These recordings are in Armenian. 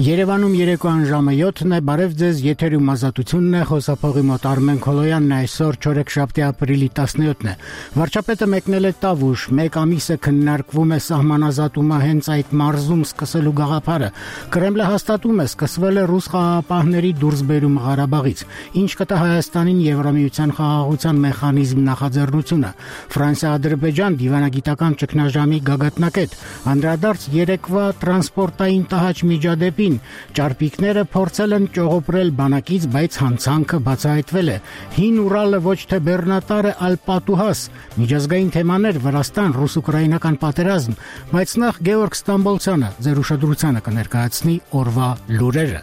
Երևանում երեկոյան ժամը 7-ն է, բարև ձեզ, եթերում ազատությունն է, խոսափողի մոտ Արմեն Քոլոյանն է, այսօր չորեքշաբթի ապրիլի 17-ն է։ Վարչապետը մեկնել է Տավուշ, մեկ ամիս է քննարկվում է սահմանազատումը հենց այդ մարզում սկսելու գաղափարը։ Կրեմլը հաստատում է, սկսվել է ռուս խաղաղապահների դուրսբերումը Ղարաբաղից, ինչ կտա Հայաստանին Եվրամիության խաղաղության մեխանիզմ նախաձեռնությունը։ Ֆրանսիա-Ադրբեջան դիվանագիտական ճգնաժամի գագաթնակետ, անդրադարձ երեկվա տրանսպորտային տհաճ միջադեպին, ճարպիկները փորձել են ճողոպրել բանակից, բայց հանցանքը բացահայտվել է։ Հին Ուրալը ոչ թե բեռնատար է, այլ պատուհաս։ Միջազգային թեմաներ, Վրաստան, ռուս-ուկրաինական պատերազմ, բայց նախ Գեորգ Ստամբոլցյանը ձեր ուշադրությանը կներկայացնի օրվա լուրերը։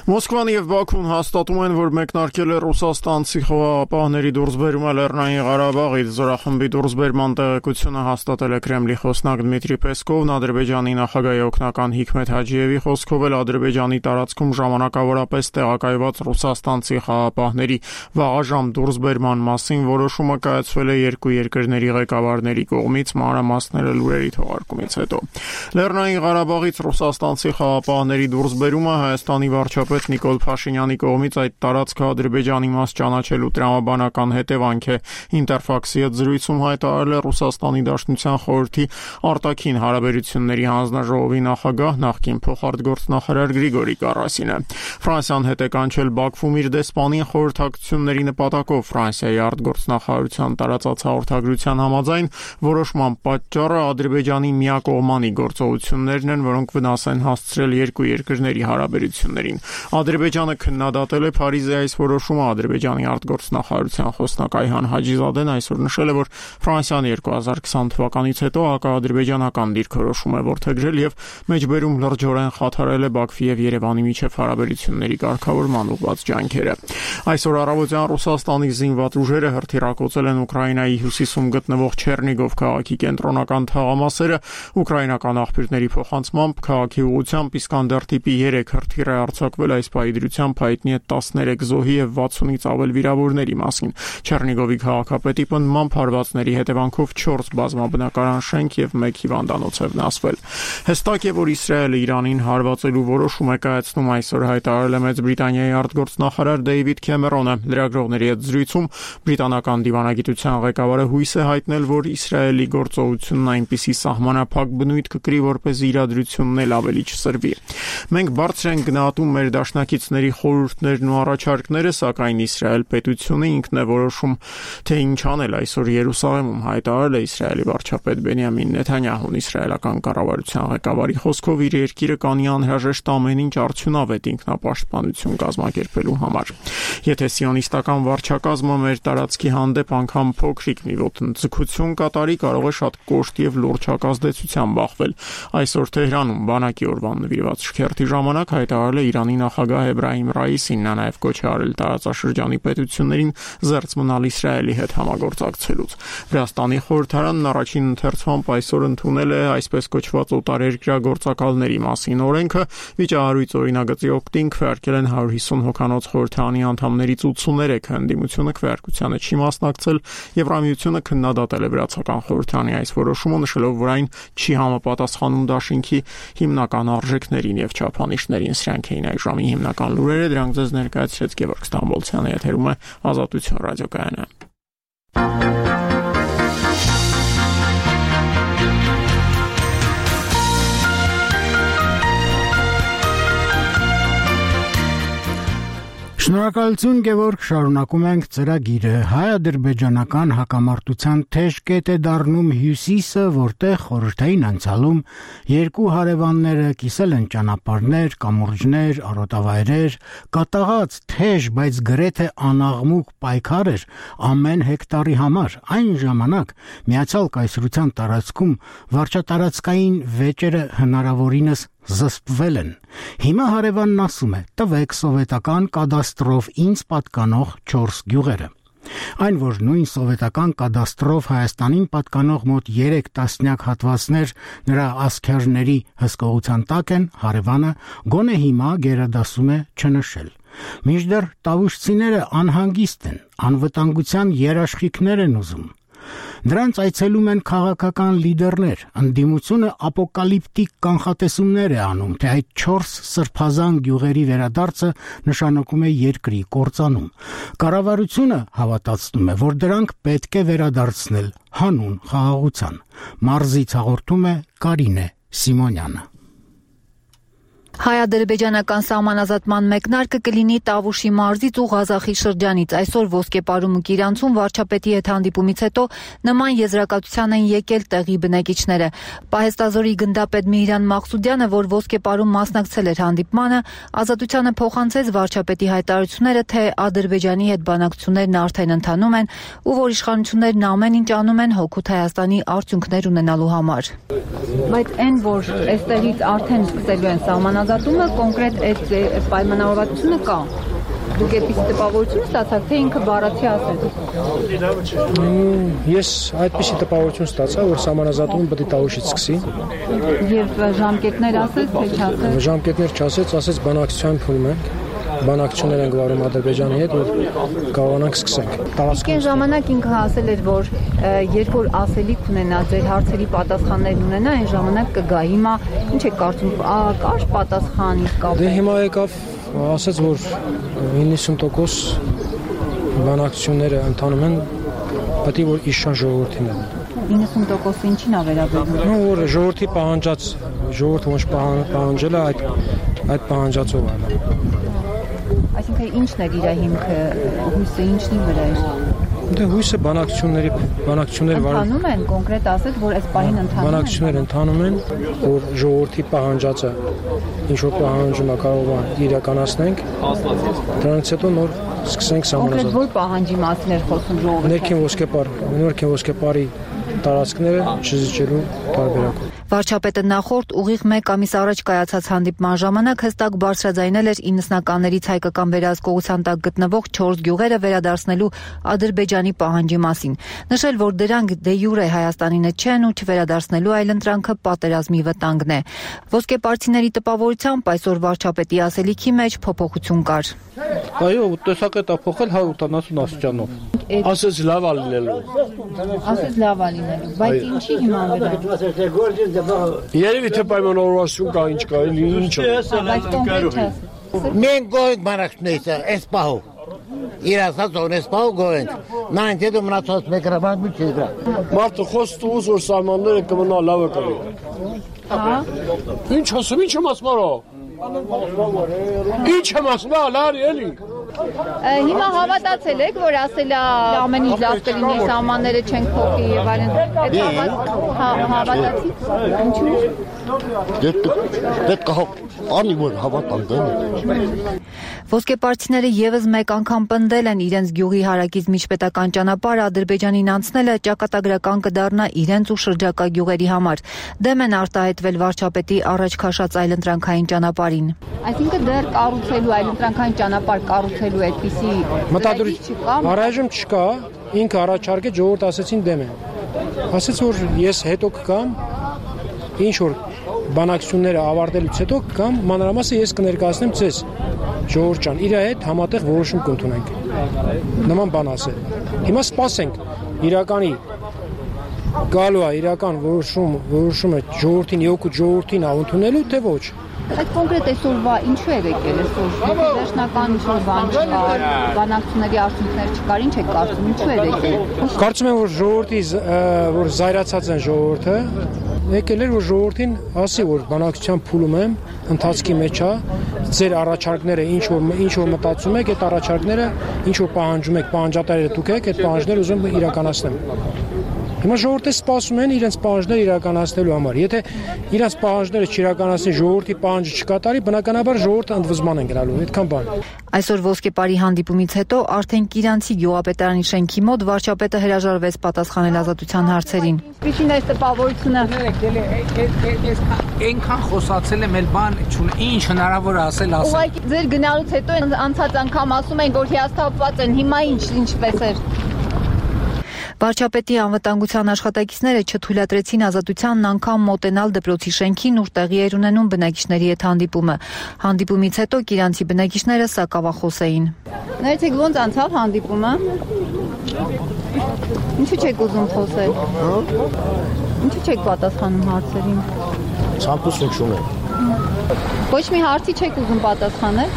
Մոսկվան եւ Բաքուն հաստատում են, որ մեկնարկել է ռուսաստանցի խաղաղապահների դուրսբերումը Լեռնային Ղարաբաղից։ Զորախմբի դուրսբերման տեղեկությունը հաստատել է Կրեմլի խոսնակ Դմիտրի Պեսկովն, Ադրբեջանի նախագահի օգնական Հիքմեթ Հաջիևի խոսքով էլ Ադրբեջանի տարածքում ժամանակավորապես տեղակայված ռուսաստանցի խաղաղապահների վաղաժամ դուրսբերման մասին որոշումը կայացվել է երկու երկրների ղեկավարների կողմից մանրամասները լուրերի թողարկումից հետո։ Լեռնային Ղարաբաղից ռուսաստանցի խաղաղապահների դուրսբերումը Հայաստանի վարչապետ Նիկոլ Փաշինյանի կողմից այդ տարածքը Ադրբեջանի մաս ճանաչելու տրամաբանական հետևանք է։ Ինտերֆաքսի հետ զրույցում հայտարարել է Ռուսաստանի Դաշնության խորհրդի արտաքին հարաբերությունների հանձնաժողովի նախագահ նախկին փոխարտգործնախարար Գրիգորի Կարասինը։ Ֆրանսիան հետ է կանչել Բաքվում իր դեսպանին խորհրդակցությունների նպատակով։ Ֆրանսիայի արտգործնախարարության տարածած հաղորդագրության համաձայն որոշման պատճառը Ադրբեջանի միակողմանի գործողություններն են, որոնք վնաս են հասցրել երկու երկրների հարաբերություններին։ Ադրբեջանը քննադատել է Փարիզի այս որոշումը։ Ադրբեջանի արտգործնախարարության խոսնակ Այհան Հաջիզադեն այսօր նշել է, որ Ֆրանսիան 2020 թվականից հետո հակաադրբեջանական դիրքորոշում է որդեգրել եւ մեջբերում լրջորեն խաթարել է Բաքվի եւ Երևանի միջև հարաբերությունների կարգավորման ուղղված ջանքերը։ Այսօր առավոտյան Ռուսաստանի զինված ուժերը հրթիռակոծել են Ուկրաինայի հյուսիսում գտնվող Չեռնիգով քաղաքի կենտրոնական թաղամասերը։ Ուկրաինական աղբյուրների փոխանցմամբ քաղաքի ուղղությամբ Իսկանդեր տիպի 3 հրթիռ է արձակվել, այս պայդրությամբ հայտնի է 13 զոհի եւ 60-ից ավել վիրավորների մասին։ Չեռնիգովի քաղաքապետի պնդմամբ հարվածների հետևանքով 4 բազմաբնակարան շենք եւ 1 հիվանդանոց է վնասվել։ Հստակ է, որ Իսրայելը Իրանին հարվածելու որոշում է կայացնում, այսօր հայտարարել է Մեծ Բրիտանիայի արտգործնախարար Դեյվիդ Քեմերոնը։ Լրագրողների հետ զրույցում բրիտանական դիվանագիտության ղեկավարը հույս է հայտնել, որ Իսրայելի գործողությունն այնպիսի սահմանափակ բնույթ կկրի, որպեսզի իրադրությունն էլ ավելի չսրվի։ Մենք բարձր ենք գնահատում մեր դաշնակիցների խորհուրդներն ու առաջարկները, սակայն Իսրայել պետությունը ինքն է որոշում, թե ինչ անել, այսօր Երուսաղեմում հայտարարել է Իսրայելի վարչապետ Բենյամին Նեթանյահուն։ Իսրայելական կառավարության ղեկավարի խոսքով իր երկիրը կանի անհրաժեշտ ամեն ինչ արդյունավետ ինքնապաշտպանություն կազմակերպելու համար։ Եթե սիոնիստական վարչակազմը մեր տարածքի հանդեպ անգամ փոքրիկ մի ոտնձգություն կատարի, կարող է շատ կոշտ եւ լուրջ հակազդեցության բախվել։ Այսօր Թեհրանում բանակի օրվան նվիրված շքերթի ժամանակ հայտարարել է Իրանի նախագահ Էբրահիմ Ռայիսին, նա նաև կոչ է արել տարածաշրջանի պետություններին զերծ մնալ Իսրայելի հետ համագործակցելուց։ Վրաստանի խորհրդարանն առաջին ընթերցումով այսօր ընդունել է այսպես կոչված օտարերկրյա գործակալների մասին օրենքը։ Վիճահարույց օրինագծի օգտին քվեարկել են 150 հոգանոց խորհրդարանի անդամներից 83-ը, ընդդիմությունը քվեարկությանը չի մասնակցել։ Եվրամիությունը քննադատել է վրացական խորհրդարանի այս որոշումը, նշելով, որ այն չի համապատասխանում դաշինքի հիմնական արժեքներին եւ չափանիշներին։ Սրանք էին այս ժամի հիմնական լուրերը, դրանք ձեզ ներկայացրեց Գեորգ Ստամբոլցյանը, եթերում է Ազատություն ռադիոկայանը։ Շնորհակալություն Գևորգ, շարունակում ենք ծրագիրը։ Հայ-ադրբեջանական հակամարտության թեժ կետ է դառնում Հյուսիսը, որտեղ խորհրդային անցյալում երկու հարևանները կիսել են ճանապարհներ, կամուրջներ, արոտավայրեր, կատաղած թեժ, բայց գրեթե անաղմուկ պայքար էր ամեն հեկտարի համար։ Այն ժամանակ Միացյալ Կայսրության տարածքում վարչատարածքային վեճերը հնարավորինս զսպվել են։ Հիմա հարևանն ասում է՝ տվեք սովետական կադաստրով ինձ պատկանող 4 գյուղերը։ Այն, որ նույն սովետական կադաստրով Հայաստանին պատկանող մոտ 3 տասնյակ հատվածներ նրա ասքերների հսկողության տակ են, հարևանը գոնե հիմա գերադասում է չնշել։ Մինչդեռ տավուշցիները անհանգիստ են, անվտանգության երաշխիքներ են ուզում։ Դրանց այցելում են քաղաքական լիդերներ, ընդդիմությունը ապոկալիպտիկ կանխատեսումներ է անում, թե այդ 4 սրբազան գյուղերի վերադարձը նշանակում է երկրի կործանում։ Կառավարությունը հավատացնում է, որ դրանք պետք է վերադարձնել հանուն խաղաղության։ Մարզից հաղորդում է Կարինե Սիմոնյանը։ Հայ-ադրբեջանական սահմանազատման մեկնարկը կլինի Տավուշի մարզից ու Ղազախի շրջանից։ Այսօր Ոսկեպարում ու Կիրանցում վարչապետի հետ հանդիպումից հետո նման եզրակացության են եկել տեղի բնակիչները։ Պահեստազորի գնդապետ Միհրան Մաղսուդյանը, որ Ոսկեպարում մասնակցել էր հանդիպմանը, Ազատությանը փոխանցեց վարչապետի հայտարարությունները, թե Ադրբեջանի հետ բանակցություններն արդեն ընթանում են ու որ իշխանություններն ամեն ինչ անում են հօգուտ Հայաստանի արդյունքներ ունենալու համար։ Բայց այն, որ այստեղից արդեն սկսելու են սահմանազատումը, կոնկրետ այդ պայմանավորվածությունը կա։ Դուք այդպիսի տպավորություն ստացաք, թե ինքը բառացի ասեց։ Ես այդպիսի տպավորություն ստացա, որ սահմանազատումը պետք է Տավուշից սկսի։ Եվ ժամկետներ ասեց, թե չասեց։ Ժամկետներ չասեց, ասեց բանակցության փուլում ենք։ Բանակցություններ են գվարում Ադրբեջանի հետ, որ կարողանանք սկսենք։ Այն ժամանակ ինքը ասել էր, որ երբ որ ասելիք ունենա, ձեր հարցերի պատասխաններ ունենա, այն ժամանակ կգա։ Հիմա ինչ է կարծում, կար պատասխան իսկ։ Դե հիմա եկավ, ասաց, որ 90% բանակցությունները ընթանում են, պետք է որ իշան ժողովրդին են։ 90% ինչին է վերաբերում։ Որ ժողովրդի պահանջած, ժողովուրդը ոնց պահանջել է, այդ պահանջածով է։ Այսինքն ինչն է իր հիմքը, հույսը ինչնի վրա է։ Դե հույսը բանակցությունները ընթանում են, կոնկրետ ասած, որ այս պահին ընթանում են։ Բանակցությունները ընթանում են, որ ժողովրդի պահանջածը ինչ որ պահանջում է կարող է իրականացնենք։ Դրանից հետո նոր սկսենք սահմանազատել։ Կոնկրետ որ պահանջի մասին էր խոսում ժողովուրդը։ Ներքին ոսկեպարի տարածքները չզիջելու տարբերակով։ Վարչապետը նախորդ ուղիղ 1 ամիս առաջ կայացած հանդիպման ժամանակ հստակ բարձրաձայնել էր 90-ականներից հայկական վերահսկողության տակ գտնվող 4 գյուղերը վերադարձնելու Ադրբեջանի պահանջի մասին։ Նշել, որ դրանք դե յուրե Հայաստանինը չեն ու չվերադարձնելու այլընտրանքը պատերազմի վտանգն է։ Ոսկեպարցիների տպավորությամբ այսօր վարչապետի ասելիքի մեջ փոփոխություն կար։ Այո, տեսակետը փոխել 180 աստիճանով։ Ասես լավ է լինելու։ Ասես լավ է լինելու, բայց ինչի հիման վրա։ Երևի թե պայմանավորվածություն կա, ինչ կա, ինչը։ Բայց կոնկրետ չէ։ Մենք գոհենք բանակցությունից, այս պահով։ Իր ասած օրես պահով գոհենք։ Նա ինձ մնացած մեկրաբան մի չի դրա։ Մարդը խոսք ուզ որ սահմանները կմնա լավը կլի։ Հա։ Ինչ ասում, ինչ եմ ասում արա։ Ինչ եմ ասում, լարի էլի։ Հիմա հավատացել եք, որ ասել է ամեն ինչ լավ կլինի, սահմանները չենք փոխի եւ այլն։ Այդ հավատացիք։ Ինչու՞։ Պետք է անի որ հավատանք։ Ոսկեպարցիները եւս մեկ անգամ պնդել են իրենց գյուղի հարակից միջպետական ճանապարհը Ադրբեջանին անցնելը ճակատագրական կդառնա իրենց ու շրջակա գյուղերի համար։ Դեմ են արտահայտվել վարչապետի առաջ քաշած այլընտրանքային ճանապարհին։ Այսինքն դեռ կառուցելու այլընտրանքային ճանապարհ կառուցելու այդպիսի մտադրություն առայժմ չկա, ինքը առաջարկեց, ժողովուրդ ասեցին դեմ են։ Ասեց որ ես հետո կգամ, ինչ որ բանակցությունները ավարտելուց հետո կգամ, մանրամասը ես կներկայացնեմ ձեզ, ժողովուրդ ջան, իր հետ համատեղ որոշում կընդունենք։ Նման բան ասել։ Հիմա սպասենք իրականի գալու է իրական որոշումը ժողովրդին եկուտ ժողովրդին ընդունելու թե ոչ։ Այդ կոնկրետ այսօրվա ինչու է եկել այսօր։ Վերջնական ինչ-որ բան չկար, բանակցությունների արդյունքներ չկար, ինչ է կարծում, ինչու է եկել։ Կարծում եմ որ ժողովրդի որ զայրացած են ժողովուրդը, եկել էր որ ժողովրդին ասի որ բանակցության փուլում եմ, ընթացքի մեջ է, ձեր առաջարկները ինչ որ մտածում եք, այդ առաջարկները ինչ որ պահանջում եք, պահանջատարները դուք եք, այդ պահանջները ուզում իրականացնեմ։ Հիմա ժողովուրդը սպասում են իրենց պահանջները իրականացնելու համար։ Եթե իրենց պահանջները չիրականացնի, ժողովրդի պահանջը չկատարի, բնականաբար ժողովուրդը ընդվզման են գնալու, այդքան բան։ Այսօր Ոսկեպարի հանդիպումից հետո արդեն Կիրանցի գյուղապետարանի շենքի մոտ վարչապետը հրաժարվեց պատասխանել ազատության հարցերին։ Ինչին է տպավորությունը։ Այնքան խոսացել եմ, էլ բան ինչ հնարավոր ասել։ Ուղղակի ձեր գնալուց հետո անցած անգամ ասում են, որ հիասթափված են, հիմա ինչպես էր։ Վարչապետի անվտանգության աշխատակիցները չթույլատրեցին Ազատությանն անգամ մոտենալ դպրոցի շենքին, ուր տեղի էր ունենում բնակիչների հետ հանդիպումը։ Հանդիպումից հետո Կիրանցի բնակիչները սակավախոս էին։ Ներեցեք, ոնց անցավ հանդիպումը։ Ինչու չեք ուզում խոսել։ Ինչու չեք պատասխանում հարցերին։ Ցանկություն չունեմ։ Ոչ մի հարցի չեք ուզում պատասխանել։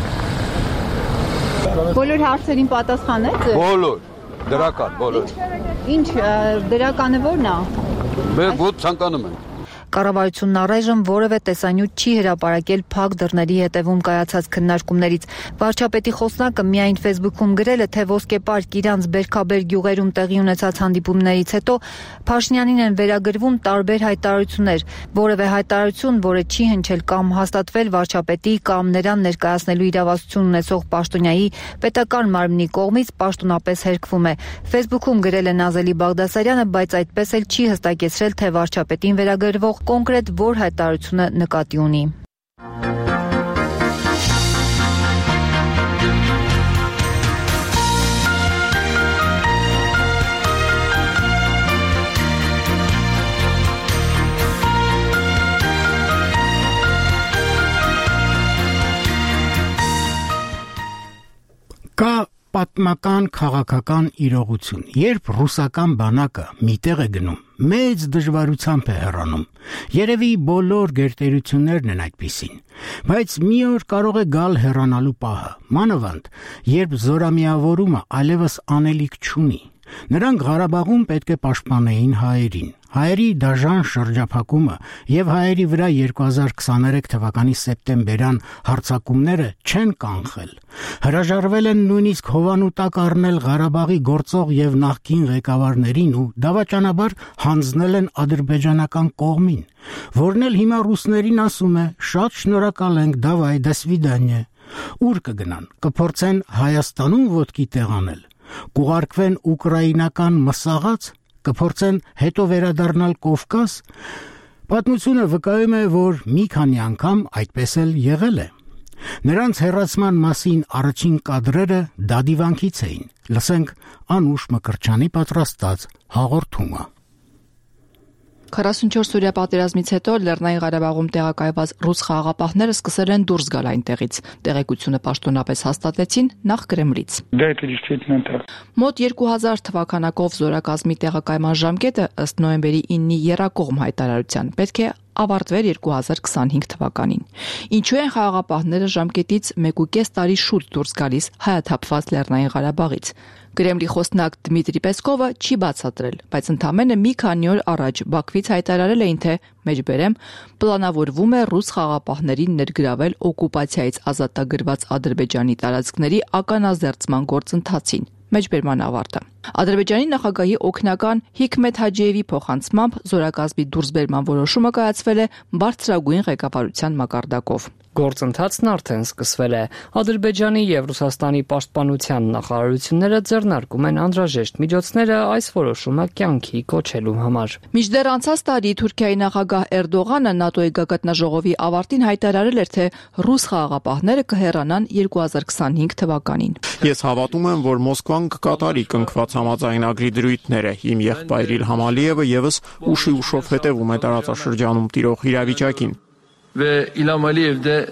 Բոլոր հարցերին պատասխանեք։ Բոլոր, դրական, բոլոր։ Ինչ դրականը ո՞րն է։ Մենք ոտ ցանկանում ենք։ Կառավարությունն առայժմ որևէ տեսանյութ չի հրապարակել փակ դռների հետևում կայացած քննարկումներից։ Վարչապետի խոսնակը միայն Facebook-ում գրել է, թե Ոսկեպարկ Իրանց Բերքաբեր գյուղերում տեղի ունեցած հանդիպումներից հետո Փաշինյանին են վերագրվում տարբեր հայտարարություններ։ Որևէ հայտարարություն, որը չի հնչել կամ հաստատվել վարչապետի կամ նրան ներկայացնելու իրավասություն ունեցող պաշտոնյայի պետական մարմնի կողմից պաշտոնապես հերկվում է։ Facebook-ում գրել է Նազելի Բաղդասարյանը, բայց այդպես էլ չի հստակեցրել, թե վարչապետին վերագրվող կոնկրետ որ հայտարարությունը նկատի ունի։ Կա պատմական քաղաքական իրողություն, երբ ռուսական բանակը միտեղ է գնում, մեծ դժվարությամբ է հեռանում։ Երևի բոլոր գերտերություններն են այդպիսին, բայց մի օր կարող է գալ հեռանալու պահը, մանավանդ, երբ զորամիավորումը այլևս անելիք չունի։ Նրանք Ղարաբաղում պետք է պաշտպանեին հայերին։ Հայերի դաժան շրջափակումը եւ հայերի վրա 2023 թվականի սեպտեմբերյան հարձակումները չեն կանխել։ Հրաժարվել են նույնիսկ հովանու տակ առնել Ղարաբաղի գործող եւ նախկին ղեկավարներին ու դավաճանաբար հանձնել են ադրբեջանական կողմին, որն էլ հիմա ռուսներին ասում է. «Շատ շնորհակալ ենք, դավայ, до свидания»։ Ուր կգնան, կփորձեն Հայաստանում ոտքի տեղանել, կուղարկվեն ուկրաինական մսաղաց, կփորձեն հետո վերադառնալ Կովկաս։ Պատմությունը վկայում է, որ մի քանի անգամ այդպես էլ եղել է։ Նրանց հեռացման մասին առաջին կադրերը դադիվանքից էին։ Լսենք Անուշ Մկրտչյանի պատրաստած հաղորդումը։ 44-օրյա պատերազմից հետո Լեռնային Ղարաբաղում տեղակայված ռուս խաղաղապահները սկսել են դուրս գալ այնտեղից։ Տեղեկությունը պաշտոնապես հաստատեցին նախ Կրեմլից։ Մոտ 2000 թվականակով զորակազմի տեղակայման ժամկետը ըստ նոյեմբերի 9-ի եռակողմ հայտարարության պետք է ավարտվեր 2025 թվականին։ Ինչու են խաղաղապահները ժամկետից 1.5 տարի շուտ դուրս գալիս հայաթափված Լեռնային Ղարաբաղից։ Կրեմլի խոսնակ Դմիտրի Պեսկովը չի բացատրել, բայց ընդամենը մի քանի օր առաջ Բաքվից հայտարարել էին, թե մեջբերեմ պլանավորվում է ռուս խաղաղապահներին ներգրավել օկուպացիայից ազատագրված Ադրբեջանի տարածքների ականազերծման գործընթացին։ Մեջբերման ավարտը։ Ադրբեջանի նախագահի օգնական Հիկմետ Հաջիևի փոխանցմամբ զորակազմի դուրսբերման որոշումը կայացվել է բարձրագույն ղեկավարության մակարդակով։ Գործընթացն արդեն սկսվել է։ Ադրբեջանի եւ Ռուսաստանի պաշտպանության նախարարությունները ձեռնարկում են անհրաժեշտ միջոցները այս որոշումը կյանքի կոչելու համար։ Մինչդեռ անցած տարի Թուրքիայի նախագահ Էրդողանը ՆԱՏՕ-ի գագաթնաժողովի ավարտին հայտարարել էր, թե ռուս խաղաղապահները կհեռանան 2025 թվականին։ Ես հավատում եմ, որ Մոսկվան կկատարի կնքված համաձայնագրի դրույթները։ Իմ եղբայր Իլհամ Ալիևը եւս ուշի ուշով հետևում է տարածաշրջանում տիրող իրավիճակին։ Ve İlham Aliyev de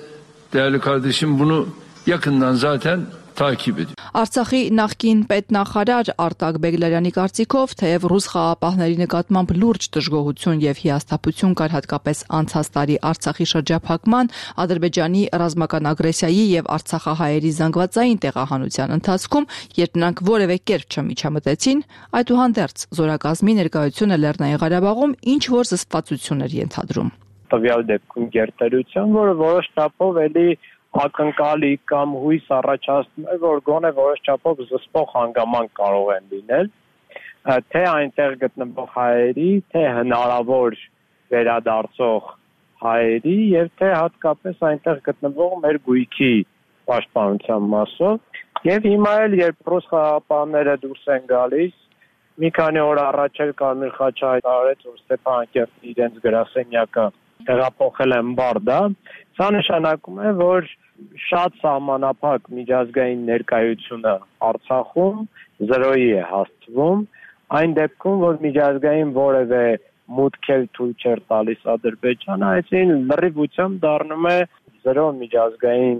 değerli kardeşim bunu yakından zaten takip ediyor. Արցախի նախկին պետնախարար Արտակ Բեգլարյանի կարծիքով, թեև ռուս խաղաղապահների նկատմամբ լուրջ դժգոհություն եւ հիասթափություն կար հատկապես անցած տարի Արցախի շրջափակման, Ադրբեջանի ռազմական ագրեսիայի եւ արցախահայերի զանգվածային տեղահանության ընթացքում, երբ նրանք որևէ կերպ չմիջամտեցին, այդուհանդերձ զորակազմի ներկայությունը Լեռնային Ղարաբաղում ինչ որ զսպվածություն էր ենթադրում։ Տվյալ դեպքում գերտերություն, որը որոշ չափով էլի ակնկալի կամ հույս առաջացնում է, որ գոնե որոշ չափով զսպող հանգամանք կարող են լինել, թե այնտեղ գտնվող հայերի, թե հնարավոր վերադարձող հայերի եւ թե հատկապես այնտեղ գտնվող մեր գույքի պաշտպանության մասով։ Եվ հիմա էլ երբ ռուս խաղաղապահները դուրս են գալիս, մի քանի օր առաջ էլ Կարմիր խաչը հայտարարեց, որ Ստեփանակերտի իրենց գրասենյակը տեղափոխել են Բարդա, սա նշանակում է, որ շատ սահմանափակ միջազգային ներկայությունը Արցախում 0-ի է հասցվում, Այն դեպքում, որ միջազգային որևէ մուտք էլ թույլ չէր տալիս Ադրբեջանը, այսին լրիվությամբ դառնում է զրո միջազգային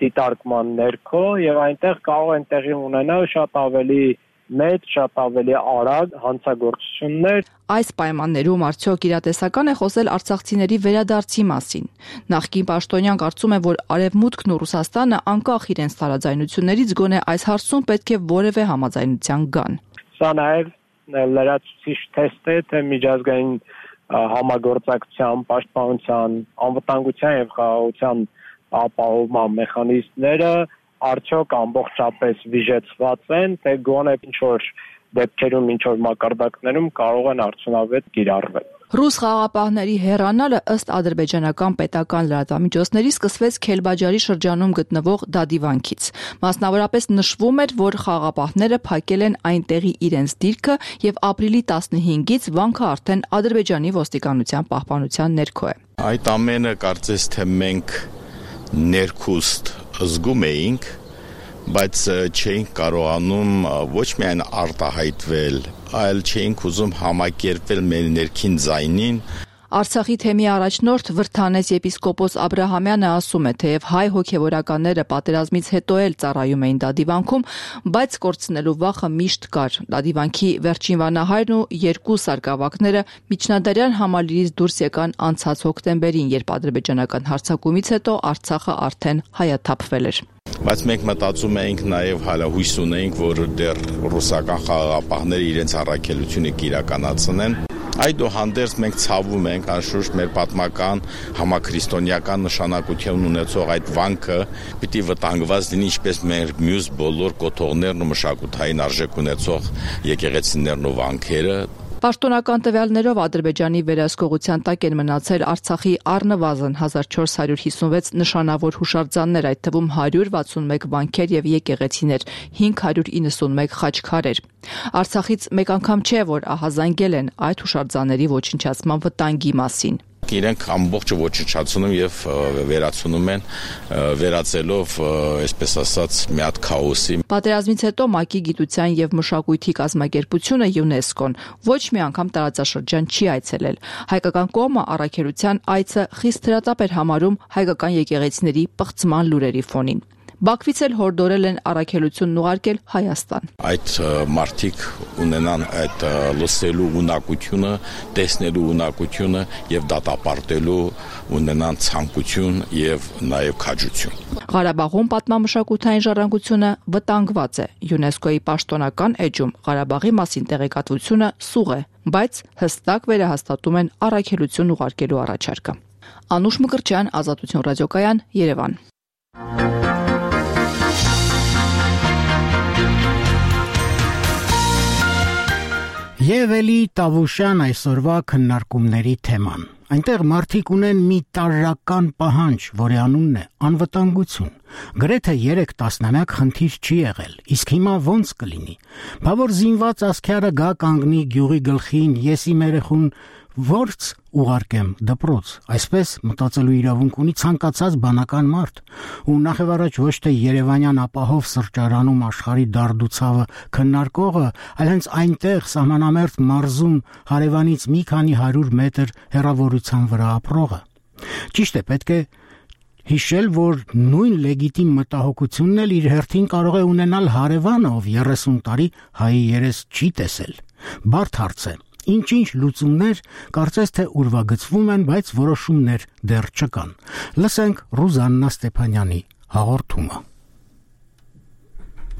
դիտարկման ներքո եւ այնտեղ կարող են տեղի ունենալ շատ ավելի մեծ, շատ ավելի արագ հանցագործություններ։ Այս պայմաններում արդյոք իրատեսական է խոսել արցախցիների վերադարձի մասին։ Նախկին պաշտոնյան կարծում է, որ Արևմուտքն ու Ռուսաստանը անկախ իրենց տարաձայնություններից գոնե այս հարցում պետք է որևէ համաձայնության գան։ Սա նաեւ լրացուցիչ թեստ է, թե միջազգային համագործակցության, պաշտպանության, անվտանգության եւ խաղաղության ապահովման մեխանիզմները արդյոք ամբողջապես վիժեցված են, թե գոնե ինչ-որ դեպքերում, ինչ-որ մակարդակներում կարող են արդյունավետ կիրառվել։ Ռուս խաղաղապահների հեռանալը ըստ ադրբեջանական պետական լրատվամիջոցների սկսվեց Քելբաջարի շրջանում գտնվող Դադիվանքից։ Մասնավորապես նշվում էր, որ խաղաղապահները փակել են այնտեղի իրենց դիրքը եւ ապրիլի 15-ից վանքը արդեն Ադրբեջանի ոստիկանության պահպանության ներքո է։ Այդ ամենը կարծես թե մենք ներքուստ զգում էինք, բայց չէինք կարողանում ոչ միայն արտահայտվել, այլ չէինք ուզում համակերպվել մեր ներքին ձայնին։ Արցախի թեմի առաջնորդ Վրթանես եպիսկոպոս Աբրահամյանը ասում է, թեև հայ հոգևորականները պատերազմից հետո էլ ծառայում էին Դադիվանքում, բայց կորցնելու վախը միշտ կար։ Դադիվանքի վերջին վանահայրն ու երկու սարկավակները միջնադարյան համալիրից դուրս եկան անցած հոկտեմբերին, երբ ադրբեջանական հարձակումից հետո Արցախը արդեն հայաթափվել էր։ Բայց մենք մտածում էինք նաև հույս ունեինք, որ դեռ ռուսական խաղաղապահները իրենց առաքելությունը կիրականացնեն։ Այդուհանդերձ մենք ցավում ենք, անշուշտ մեր պատմական համաքրիստոնեական նշանակություն ունեցող այդ վանքը պիտի վտանգված լինի, ինչպես մեր մյուս բոլոր կոթողներն ու մշակութային արժեք ունեցող եկեղեցիներն ու վանքերը։ Պաշտոնական տվյալներով Ադրբեջանի վերահսկողության տակ են մնացել Արցախի առնվազն 1456 նշանավոր հուշարձաններ, այդ թվում 161 վանքեր եւ եկեղեցիներ, 591 խաչքարեր։ Արցախից մեկ անգամ չէ, որ ահազանգել են այդ հուշարձանների ոչնչացման վտանգի մասին։ Իրենք ամբողջը ոչնչացնում եւ վերացնում են, վերածելով, այսպես ասած, մի հատ քաոսի։ Պատերազմից հետո ՄԱԿ-ի գիտության եւ մշակույթի կազմակերպությունը ՅՈՒՆԵՍԿՕ-ն ոչ մի անգամ տարածաշրջան չի այցելել։ Հայկական կողմը առաքելության այցը խիստ հրատապ էր համարում հայկական եկեղեցիների պղծման լուրերի ֆոնին։ Բաքվից էլ հորդորել են առաքելությունն ուղարկել Հայաստան։ Այդ մարդիկ ունենան այդ լսելու ունակությունը, տեսնելու ունակությունը եւ դատապարտելու ունենան ցանկություն եւ նաեւ քաջություն։ Ղարաբաղում պատմամշակութային ժառանգությունը վտանգված է։ ՅՈՒՆԵՍԿՕ-ի պաշտոնական էջում Ղարաբաղի մասին տեղեկատվությունը սուղ է, բայց հստակ վերահաստատում են առաքելություն ուղարկելու առաջարկը։ Անուշ Մկրտչյան, Ազատություն ռադիոկայան, Երևան։ Եվ էլի Տավուշյան այսօրվա քննարկումների թեման։ Այնտեղ մարդիկ ունեն մի տարրական պահանջ, որի անունն է անվտանգություն։ Գրեթե 3 տասնամյակ խնդիր չի եղել, իսկ հիմա ոնց կլինի։ Բա որ զինված ասքյարը գա կանգնի գյուղի գլխին, ես իմ երեխուն ո՞րց ուղարկեմ դպրոց։ Այսպես մտածելու իրավունք ունի ցանկացած բանական մարդ, ու նախևառաջ ոչ թե Երևանյան ապահով սրճարանում աշխարհի դարդուցավը քննարկողը, այլ հենց այնտեղ սահմանամերձ մարզում հարևանից մի քանի 100 մետր հեռավորության վրա ապրողը։ Ճիշտ է, պետք է հիշել, որ նույն լեգիտիմ մտահոգությունն էլ իր հերթին կարող է ունենալ հարևանը, ով 30 տարի հայի երես չի տեսել։ Բարդ հարց է։ Ինչ-ինչ լուծումներ կարծես թե ուրվագծվում են, բայց որոշումներ դեռ չկան։ Լսենք Ռուզաննա Ստեփանյանի հաղորդումը։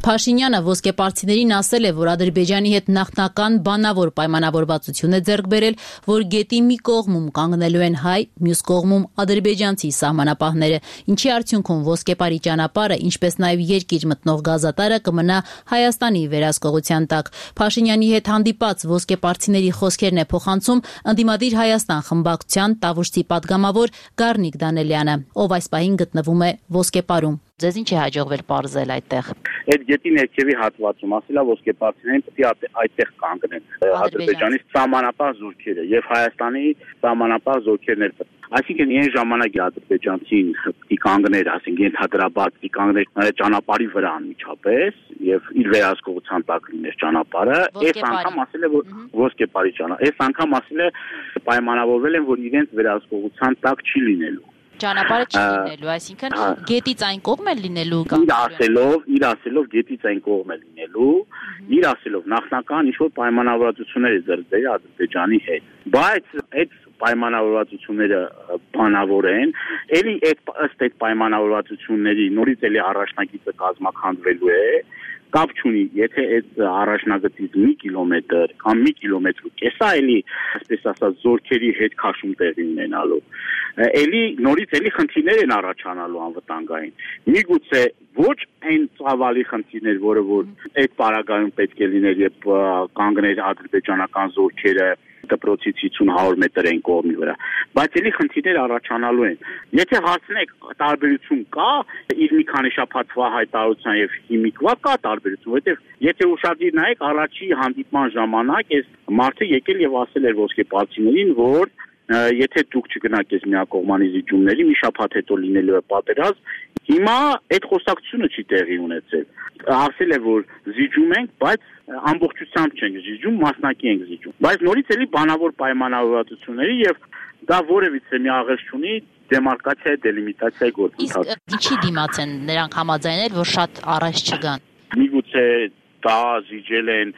Փաշինյանը ոսկեպարծիներին ասել է, որ Ադրբեջանի հետ նախնական բանավոր պայմանավորվածություն է ձեռք բերել, որ գետի մի կողմում կանգնելու են հայ, մյուս կողմում ադրբեջանցի սահմանապահները, ինչի արդյունքում ոսկեպարի ճանապարհը, ինչպես նաև երկիր մտնող գազատարը կմնա Հայաստանի վերահսկողության տակ։ Փաշինյանի հետ հանդիպած ոսկեպարծիների խոսքերն է փոխանցում ընդդիմադիր Հայաստան խմբակցության Տավուշցի պատգամավոր Գառնիկ Դանելյանը, ով այս պահին գտնվում է ոսկեպարում։ Ձեզ ինչ է հաջողվել պարզել այդտեղ։ Այդ գետի ներքևի հատվածում ասելա ոսկեպարծիներին պետք է այդտեղ կանգնեն Ադրբեջանի սահմանապահ զորքերը եւ Հայաստանի սահմանապահ զորքերն էլ։ Այսինքն այն ժամանակ ադրբեջանցին պիտի կանգներ, ասենք ենթադրաբար պիտի կանգներ ճանապարհի վրա անմիջապես եւ իր վերահսկողության տակ լիներ ճանապարհը։ Այս անգամ ասել է որ ոսկեպարի ճանապարհ։ Այս անգամ ասել է պայմանավորվել են որ իրենց վերահսկողության տակ չի լինելու։ Ճանապարհը չի լինելու, այսինքն գետից այն կողմ է լինելու իր ասելով գետից այն կողմ է լինելու, իր ասելով նախնական ինչ-որ պայմանավորվածություններ է ձեռք բերել Ադրբեջանի հետ, բայց այդ պայմանավորվածությունները բանավոր են, էլի ըստ այդ պայմանավորվածությունների նորից էլի առաջնագիծը կազմաքանդվելու է, կապ չունի, եթե այդ առաջնագծից մի կիլոմետր կամ մի կիլոմետր ու կեսա էլի, այսպես ասած, զորքերի հետ քաշում տեղի ունենալու, էլի նորից էլի խնդիրներ են առաջանալու անվտանգային։ Միգուցե ոչ այն ծավալի խնդիրներ, որը որ այդ պարագայում պետք է լիներ, երբ կանգներ ադրբեջանական զորքերը դպրոցից 50-100 մետր են կողմի վրա, բայց էլի խնդիրներ առաջանալու են։ Եթե հարցնեք տարբերություն կա, իր մի քանի շաբաթվա հայտարարության եւ հիմիկվա կա տարբերություն, որովհետեւ եթե ուշադիր նայեք առաջի հանդիպման ժամանակ այս մարդը եկել եւ ասել էր ոսկեպարծիներին, որ եթե դուք չգնաք այս միակողմանի զիջումների, մի շաբաթ հետո լինելու է պատերազմ, հիմա այդ խոսակցությունը չի տեղի ունեցել։ Ասել է որ զիջում ենք, բայց ամբողջությամբ չենք զիջում, մասնակի ենք զիջում։ Բայց նորից էլի բանավոր պայմանավորվածությունների եւ դա որևիցե մի աղերս չունի դեմարկացիայի դելիմիտացիայի գործընթաց։ Իսկ ինչի դիմաց են նրանք համաձայնել, որ շատ առաջ չգան։ Միգուցե դա զիջել են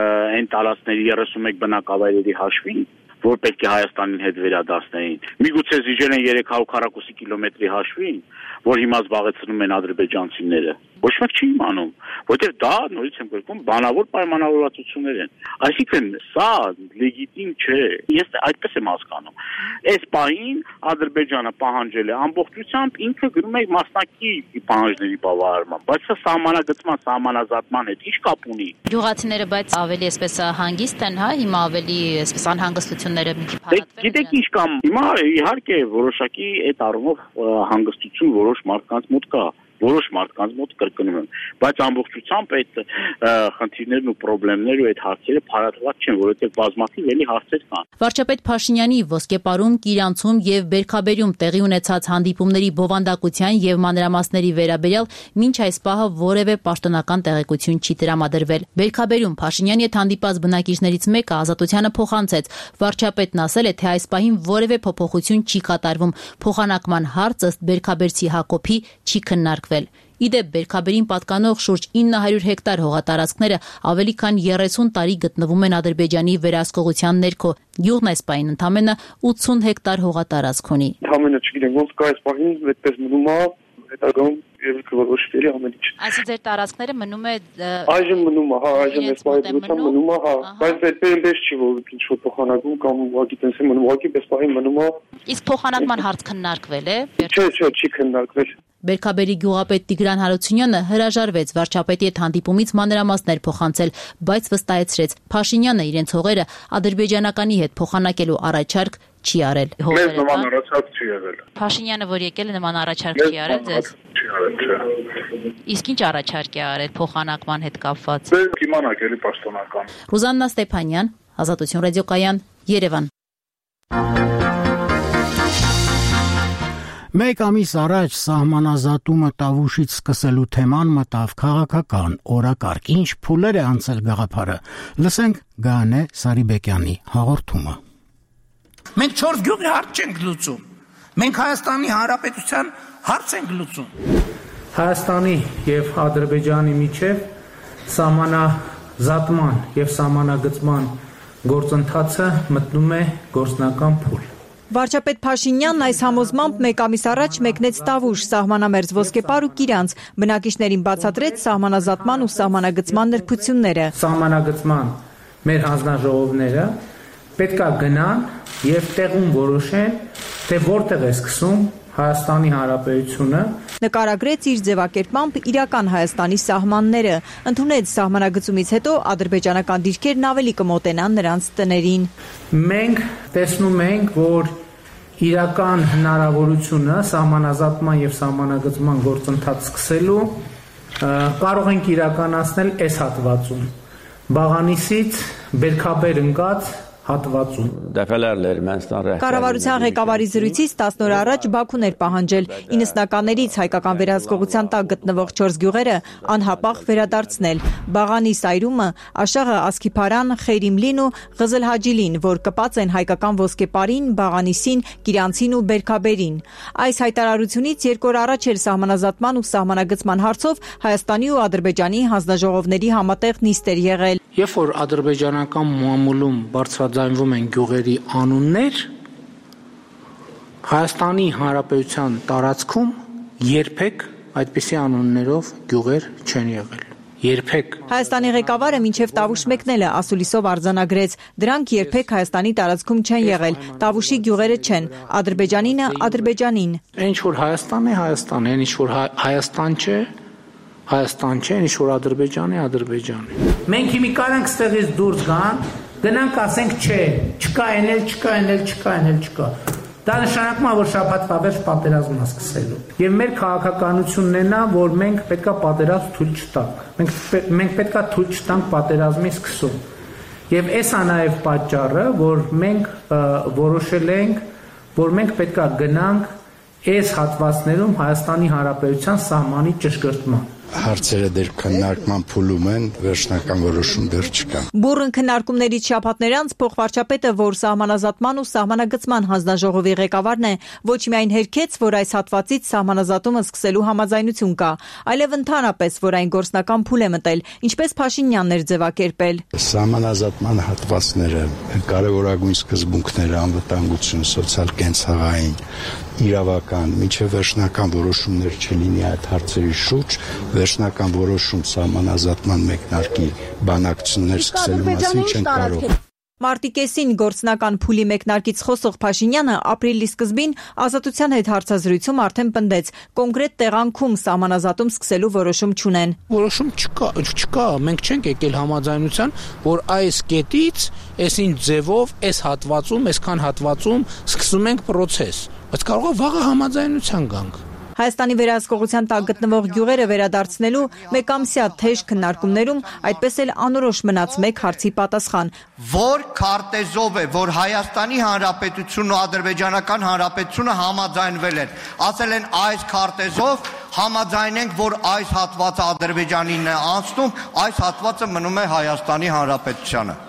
այն տարածքների 31 բնակավայրերի հաշվին, որ պետք է Հայաստանին հետ վերադասնեին։ Միգուցե զիջել են 300 քառակուսի կիլոմետրի հաշվին, որ հիմա զբաղեցնում են ադրբեջանցիները։ Ոչ մեկ չի իմանում, որտեղ դա նորից եմ գրքում բանավոր պայմանավորվածություններ են։ Այսինքն սա լեգիտիմ չէ։ Ես այդպես եմ հասկանում։ Այս պահին Ադրբեջանը պահանջել է ամբողջությամբ ինքը գրում է մասնակի պահանջների բավարարման, բայց սա սահմանագծման, սահմանազատման հետ ինչ կապ ունի։ Գյուղացիները բայց ավելի այսպես հանգիստ են, հա, հիմա ավելի այսպես անհանգստությունները մի քիչ հարատվել են։ Գիտեք ինչ կամ հիմա իհարկե որոշակի այդ առումով հանգստություն որոշ մարդկանց մոտ կա։ Որոշ մարդկանց մոտ կրկնում եմ, բայց ամբողջությամբ այդ խնդիրներն ու խնդիրներն ու այդ հարցերը փարատված չեն, որովհետև բազմաթիվ էլի հարցեր կան։ Վարչապետ Փաշինյանի Ոսկեպարում, Կիրանցում եւ Բերքաբերում տեղի ունեցած հանդիպումների բովանդակության եւ մանրամասների վերաբերյալ մինչ այս պահը որևէ պաշտոնական տեղեկություն չի տրամադրվել։ Բերքաբերում Փաշինյանի հետ հանդիպած բնակիչներից մեկը Ազատությանը փոխանցեց։ Վարչապետն ասել է, թե այս պահին որևէ փոփոխություն չի կատարվում։ Փոխանակման հարց ըստ Բերքաբերցի Հակոբի չի քննարկվել։ Իդեպ Բերքաբերին պատկանող շուրջ 900 հեկտար հողատարածքները ավելի քան 30 տարի գտնվում են Ադրբեջանի վերահսկողության ներքո։ Գյուղն այս պահին ընդամենը 80 հեկտար հողատարածք ունի։ Ընդամենը չգիտեմ ոնց կա այս պահին, այդպես մնում է, հետագայում երբ որոշվելի ամեն ինչ։ Այսինքն ձեր տարածքները մնում է այժմ մնում է, հա, այժմ այս պահին մնում է, հա, բայց այդպես չի որ ինչ որ փոխանակում կամ ուղղակի տենց է մնում, ուղղակի պես պահին մնում է։ Իսկ փոխանակման հարց քննարկվել է։ Չէ, չի քննարկվել։ Բերքաբերի գյուղապետ Տիգրան Հարությունյանը հրաժարվեց վարչապետի հետ հանդիպումից մանրամասներ փոխանցել, բայց վստահեցրեց Փաշինյանը իրենց հողերը ադրբեջանականի հետ փոխանակելու առաջարկ չի արել։ Մեզ նման առաջարկ չի եղել։ Փաշինյանը որ եկել է նման առաջարկ չի արել ձեզ։ Չի արել, չէ։ Իսկ ինչ առաջարկ է արել փոխանակման հետ կապված։ Դե իմանաք էլի պաշտոնական։ Ռուզաննա Ստեփանյան, Ազատություն ռադիոկայան, Երևան։ Մեկ ամիս առաջ սահմանազատումը Տավուշից սկսելու թեման մտավ քաղաքական օրակարգ։ Ինչ փուլեր է անցել գաղափարը։ Լսենք Գանե Սարիբեկյանի հաղորդումը։ Մենք 4 գյուղի հարց չենք լուծում։ Մենք Հայաստանի Հանրապետության հարց ենք լուծում։ Հայաստանի եւ Ադրբեջանի միջև սահմանազատման եւ սահմանագծման գործընթացը մտնում է գործնական փուլ։ Վարչապետ Փաշինյանն այս համոզմամբ մեկ ամիս առաջ մեկնեց Տավուշ, սահմանամերձ Ոսկեպար ու Կիրանց, բնակիչներին բացատրեց սահմանազատման ու սահմանագծման նրբությունները։ Սահմանագծման մեր հանձնաժողովները պետքա գնան եւ տեղում որոշեն, թե որտեղ է սկսում Հայաստանի Հանրապետությունը։ Նկարագրեց իր ձևակերպմամբ իրական Հայաստանի սահմանները, ընդունեց սահմանագծումից հետո ադրբեջանական դիրքերն ավելի կմոտենան նրանց տներին։ Մենք տեսնում ենք, որ իրական հնարավորությունը սահմանազատման եւ սահմանագծման գործընթաց սկսելու կարող ենք իրականացնել այս հատվածում Բաղանիսից Բերքաբեր ընկած հատվածում Dəfələrlə Ermənistan rəhbərliyi Կառավարության ղեկավարի զրույցից 10 օր առաջ Բաքուն էր պահանջել 90-ականներից հայկական վերահսկողության տակ գտնվող 4 գյուղերը անհապաղ վերադարձնել Բաղանի Սայրումը, Աշաղը, Ասկիփարան, Խեյրիմլին ու Ղզլհաջիլին, որ կպած են հայկական ոսկեպարին, Բաղանիսին, Կիրանցին ու Բերքաբերին։ Այս հայտարարությունից 2 օր առաջ էր սահմանազատման ու սահմանագծման հարցով Հայաստանի ու Ադրբեջանի հանձնաժողովների համատեղ նիստ էր եղել։ Երբ որ ադրբեջանական մամուլում բարձրաձայնվում են գյուղերի անուններ, Հայաստանի Հանրապետության տարածքում երբեք այդպիսի անուններով գյուղեր չեն եղել։ Երբեք։ Հայաստանի ղեկավարը մինչև Տավուշ մեկնելը ասուլիսով արձանագրեց, դրանք երբեք Հայաստանի տարածքում չեն եղել, Տավուշի գյուղերը չեն, Ադրբեջանինը Ադրբեջանին։ Ինչ որ Հայաստան է, Հայաստան է, ինչ որ Հայաստան չէ, Հայաստան չէ, ինչ որ Ադրբեջան է, Ադրբեջան է։ Մենք հիմի կարանք ստեղից դուրս գան, գնանք ասենք չէ, չկա էնել, չկա էնել, չկա էնել, չկա։ Դա նշանակում է, որ շաբաթվա վերջ պատերազմն է սկսելու։ Եվ մեր քաղաքականությունն է նա, որ մենք պետքա պատերազմ թույլ չտանք։ Մենք պետքա թույլ չտանք պատերազմի սկսում։ Եվ էս է նաև պատճառը, որ մենք որոշել ենք, որ մենք պետքա գնանք այս հատվածներում Հայաստանի Հանրապետության սահմանի ճշգրտման։ Հարցերը դեռ քննարկման փուլում են, վերջնական որոշում դեռ չկա։ Բուռն քննարկումներից շաբաթներ անց փոխվարչապետը, որ սահմանազատման ու սահմանագծման հանձնաժողովի ղեկավարն է, ոչ միայն հերքեց, որ այս հատվածից սահմանազատումը սկսելու համաձայնություն կա, այլև ընդհանրապես, որ այն գործնական փուլ է մտել, ինչպես Փաշինյանն էր ձևակերպել։ Սահմանազատման հատվածները կարևորագույն սկզբունքները անվտանգություն, սոցիալ-կենցաղային, իրավական, մինչև վերջնական որոշումներ չլինի այդ հարցերի շուրջ, վերջնական որոշում սահմանազատման մեկնարկի բանակցություններ սկսելու մասին չեն կարող։ Մարտի կեսին գործնական փուլի մեկնարկից խոսող Փաշինյանը ապրիլի սկզբին Ազատության հետ հարցազրույցում արդեն պնդեց, կոնկրետ տեղանքում սահմանազատում սկսելու որոշում չունեն։ Որոշում չկա, մենք չենք եկել համաձայնության, որ այս կետից, այսին ձևով, այս հատվածում, այսքան հատվածում սկսում ենք process, բայց կարող է վաղը համաձայնության գանք։ Հայաստանի վերահսկողության տակ գտնվող գյուղերը վերադարձնելու մեկամսյա թեժ քննարկումներում այդպես էլ անորոշ մնաց մեկ հարցի պատասխան. Որ քարտեզով է, որ Հայաստանի Հանրապետությունն ու Ադրբեջանական Հանրապետությունը համաձայնվել են, ասել են այս քարտեզով համաձայնենք, որ այս հատվածը Ադրբեջանին է անցնում, այս հատվածը մնում է Հայաստանի Հանրապետությանը։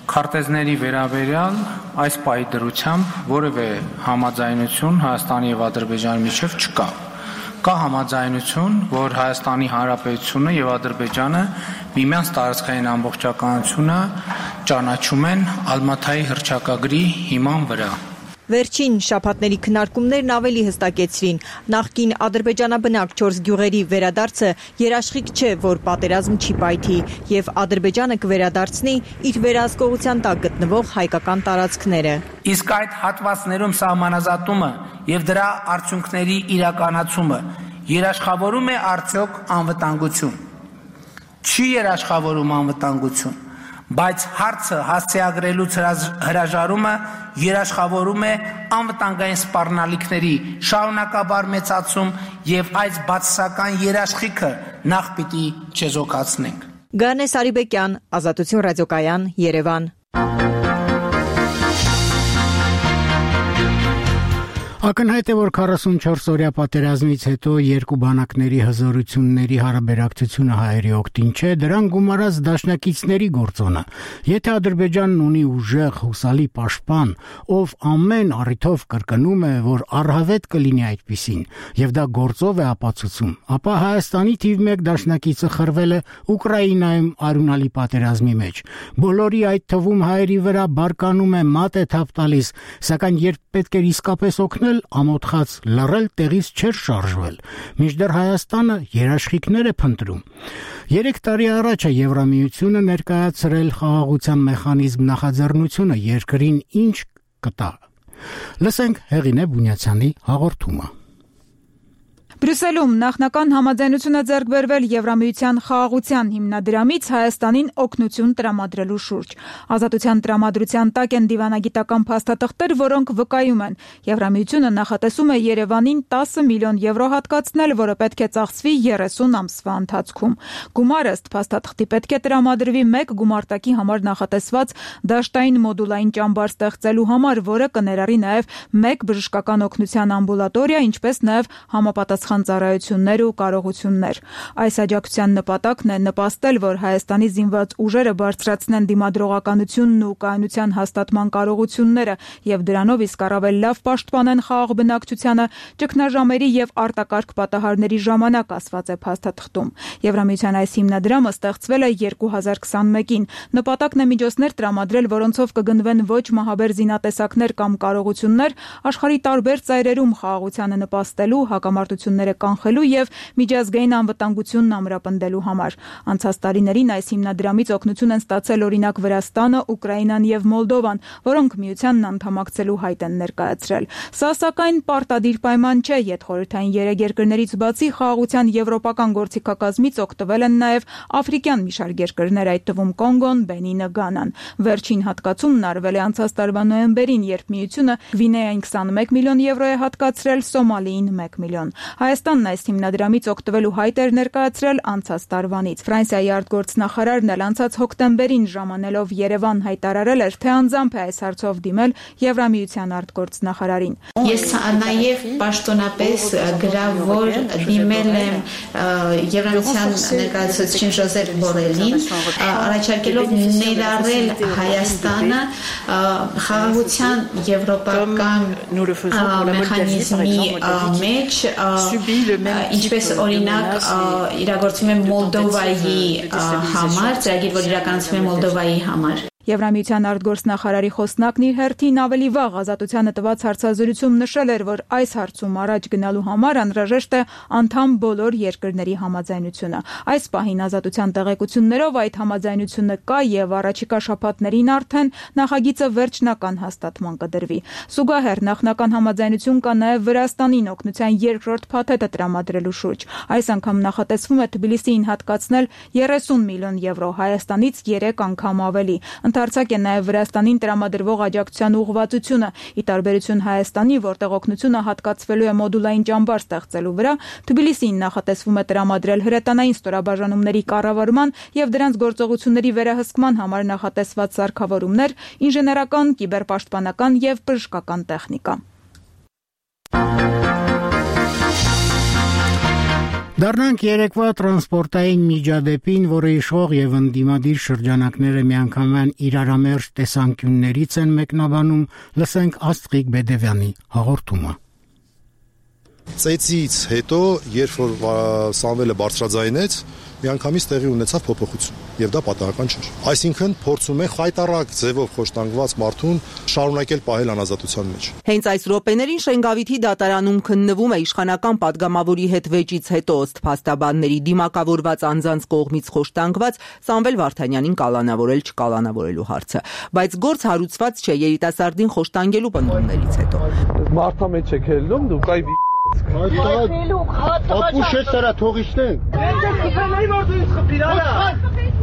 Քարտեզների վերաբերյալ այս պահի դրությամբ որևէ համաձայնություն Հայաստանի եւ Ադրբեջանի միջև չկա։ Կա համաձայնություն, որ Հայաստանի Հանրապետությունը եւ Ադրբեջանը միմյանց տարածքային ամբողջականությունը ճանաչում են Ալմաթայի հռչակագրի հիման վրա։ Վերջին շաբաթների քննարկումներն ավելի հստակեցրին. նախկին ադրբեջանաբնակ 4 գյուղերի վերադարձը երաշխիք չէ, որ պատերազմ չի պայթի, եւ Ադրբեջանը կվերադարձնի իր վերահսկողության տակ գտնվող հայկական տարածքները։ Իսկ այդ հատվածներում սահմանազատումը եւ դրա արդյունքների իրականացումը երաշխավորում է արդյոք անվտանգություն։ Չի երաշխավորում անվտանգություն, բայց հարցը հասցեագրելուց հրաժարումը երաշխավորում է անվտանգային սպառնալիքների շարունակաբար մեծացում եւ այս բացասական երաշխիքը նախ պիտի չեզոքացնենք։ Գանե Սարիբեկյան, Ազատություն ռադիոկայան, Երևան։ Ակնհայտ է, որ 44-օրյա պատերազմից հետո երկու բանակների հզորությունների հարաբերակցությունը հայերի օգտին չէ, դրան գումարած դաշնակիցների գործոնը։ Եթե Ադրբեջանն ունի ուժեղ հուսալի պաշտպան, ով ամեն առիթով կրկնում է, որ առհավետ կլինի այդպիսին, եւ դա գործով է ապացուցում, ապա Հայաստանի թիվ 1 դաշնակիցը խրվել է Ուկրաինայում արյունալի պատերազմի մեջ։ Բոլորի այդ թվում հայերի վրա բարկանում է մատ է թափ տալիս, սակայն երբ պետք էր իսկապես օգնել, ամոթխած լռել տեղից չէր շարժվել, մինչդեռ Հայաստանը երաշխիքներ է փնտրում։ 3 տարի առաջ է Եվրամիությունը ներկայացրել խաղաղության մեխանիզմ նախաձեռնությունը երկրին ինչ կտա։ Լսենք Հեղինե Բունյացյանի հաղորդումը։ Բրյուսելում նախնական համաձայնություն է ձեռք բերվել Եվրամիության խաղաղության հիմնադրամից Հայաստանին օգնություն տրամադրելու շուրջ։ Ազատության տրամադրության տակ են դիվանագիտական փաստաթղթեր, որոնք վկայում են Եվրամիությունը նախատեսում է Երևանին 10 միլիոն եվրո հատկացնել, որը պետք է ծախսվի 30 ամսվա ընթացքում։ Գումարը ըստ փաստաթղթի պետք է տրամադրվի մեկ գումարտակի համար նախատեսված դաշտային մոդուլային ճամբար ստեղծելու համար, որը կներառի նաև մեկ բժշկական օգնության ամբուլատորիա, ինչպես նաև համապատասխան ծառայություններ ու կարողություններ։ Այս աջակցության նպատակն է նպաստել, որ Հայաստանի զինված ուժերը բարձրացնեն դիմադրողականությունն ու կայունության հաստատման կարողությունները եւ դրանով իսկ առավել լավ պաշտպանեն խաղաղ բնակչությանը ճգնաժամերի եւ արտակարգ պատահարների ժամանակ, ասված է փաստաթղթում։ Եվրամիության այս հիմնադրամը ստեղծվել է 2021-ին։ Նպատակն է միջոցներ տրամադրել, որոնցով կգնվեն ոչ մահաբեր զինատեսակներ կամ կարողություններ աշխարհի տարբեր ծայրերում խաղաղությանը նպաստելու, հակամարտությունները կանխելու եւ միջազգային անվտանգությունն ամրապնդելու համար։ Անցած տարիներին այս հիմնադրամից օգնություն են ստացել օրինակ Վրաստանը, Ուկրաինան եւ Մոլդովան, որոնք միությանն անդամակցելու հայտ են ներկայացրել։ Սա սակայն պարտադիր պայման չէ, յետխորհրդային 3 երկրներից բացի խաղաղության եվրոպական գործիքակազմից օգտվել են նաեւ աֆրիկյան մի շարք երկրներ, այդ թվում Կոնգոն, Բենինը, Գանան։ Վերջին հատկացումն արվել է անցած տարվա նոյեմբերին, երբ միությունը Գվինեային 21 միլիոն եվրո է հատկացրել, Սոմալիին 1 միլիոն։ Հայաստանն այս հիմնադրամից օգտվելու հայտ էր ներկայացրել անցած տարվանից։ Ֆրանսիայի արտգործնախարարն էլ անցած հոկտեմբերին ժամանելով Երևան հայտարարել էր, թե անձամբ է այս հարցով դիմել Եվրամիության արտգործնախարարին։ Ես նաև պաշտոնապես գրավոր դիմել եմ Եվրամիության ներկայացուցիչ Ժոզեփ Բորելին, առաջարկելով ներառել Հայաստանը խաղաղության եվրոպական մեխանիզմի մեջ, ինչպես օրինակ իրագործվում է Մոլդովայի համար, ծրագիր, որ իրականացվում է Մոլդովայի համար։ Եվրամիության արտգործնախարարի խոսնակն իր հերթին ավելի վաղ Ազատությանը տված հարցազրույցում նշել էր, որ այս հարցում առաջ գնալու համար անհրաժեշտ է անդամ բոլոր երկրների համաձայնությունը։ Այս պահին Ազատության տեղեկություններով այդ համաձայնությունը կա եւ առաջիկա շաբաթներին արդեն նախագիծը վերջնական հաստատման կդրվի։ Զուգահեռ նախնական համաձայնություն կա նաեւ Վրաստանին օգնության երկրորդ փաթեթը տրամադրելու շուրջ։ Այս անգամ նախատեսվում է Թբիլիսիին հատկացնել 30 միլիոն եվրո, Հայաստանից 3 անգամ ավելի։ Ընդարձակ է նաև Վրաստանին տրամադրվող աջակցության ուղղվածությունը։ Ի տարբերություն Հայաստանի, որտեղ օգնությունը հատկացվելու է մոդուլային ճամբար ստեղծելու վրա, Թբիլիսիին նախատեսվում է տրամադրել հրետանային ստորաբաժանումների կառավարման եւ դրանց գործողությունների վերահսկման համար նախատեսված սարքավորումներ, ինժեներական, կիբերպաշտպանական եւ բժշկական տեխնիկա։ Դառնանք երեկվա տրանսպորտային միջադեպին, որը իշխող եւ ընդդիմադիր շրջանակները միանգամայն իրարամերժ տեսանկյուններից են մեկնաբանում, լսենք Աստղիկ Բեդևյանի հաղորդումը։ Ծեծից հետո, երբ որ Սամվելը բարձրաձայնեց, միանգամից տեղի ունեցավ փոփոխություն, եւ դա պատահական չէր։ Այսինքն փորձում են խայտառակ ձևով խոշտանգված մարդուն շարունակել պահել անազատության մեջ։ Հենց այս րոպեներին Շենգավիթի դատարանում քննվում է իշխանական падգամավորի հետ վեճից հետո ըստ փաստաբանների դիմակավորված անձանց կողմից խոշտանգված Սամվել Վարդանյանին կալանավորել-չկալանավորելու հարցը, բայց գործ հարուցված չէ երիտասարդին խոշտանգելու պնդումներից հետո։ Մարդա մեջ եք ելնում, դուք այ Ապուշ է սրա թողիշնենք։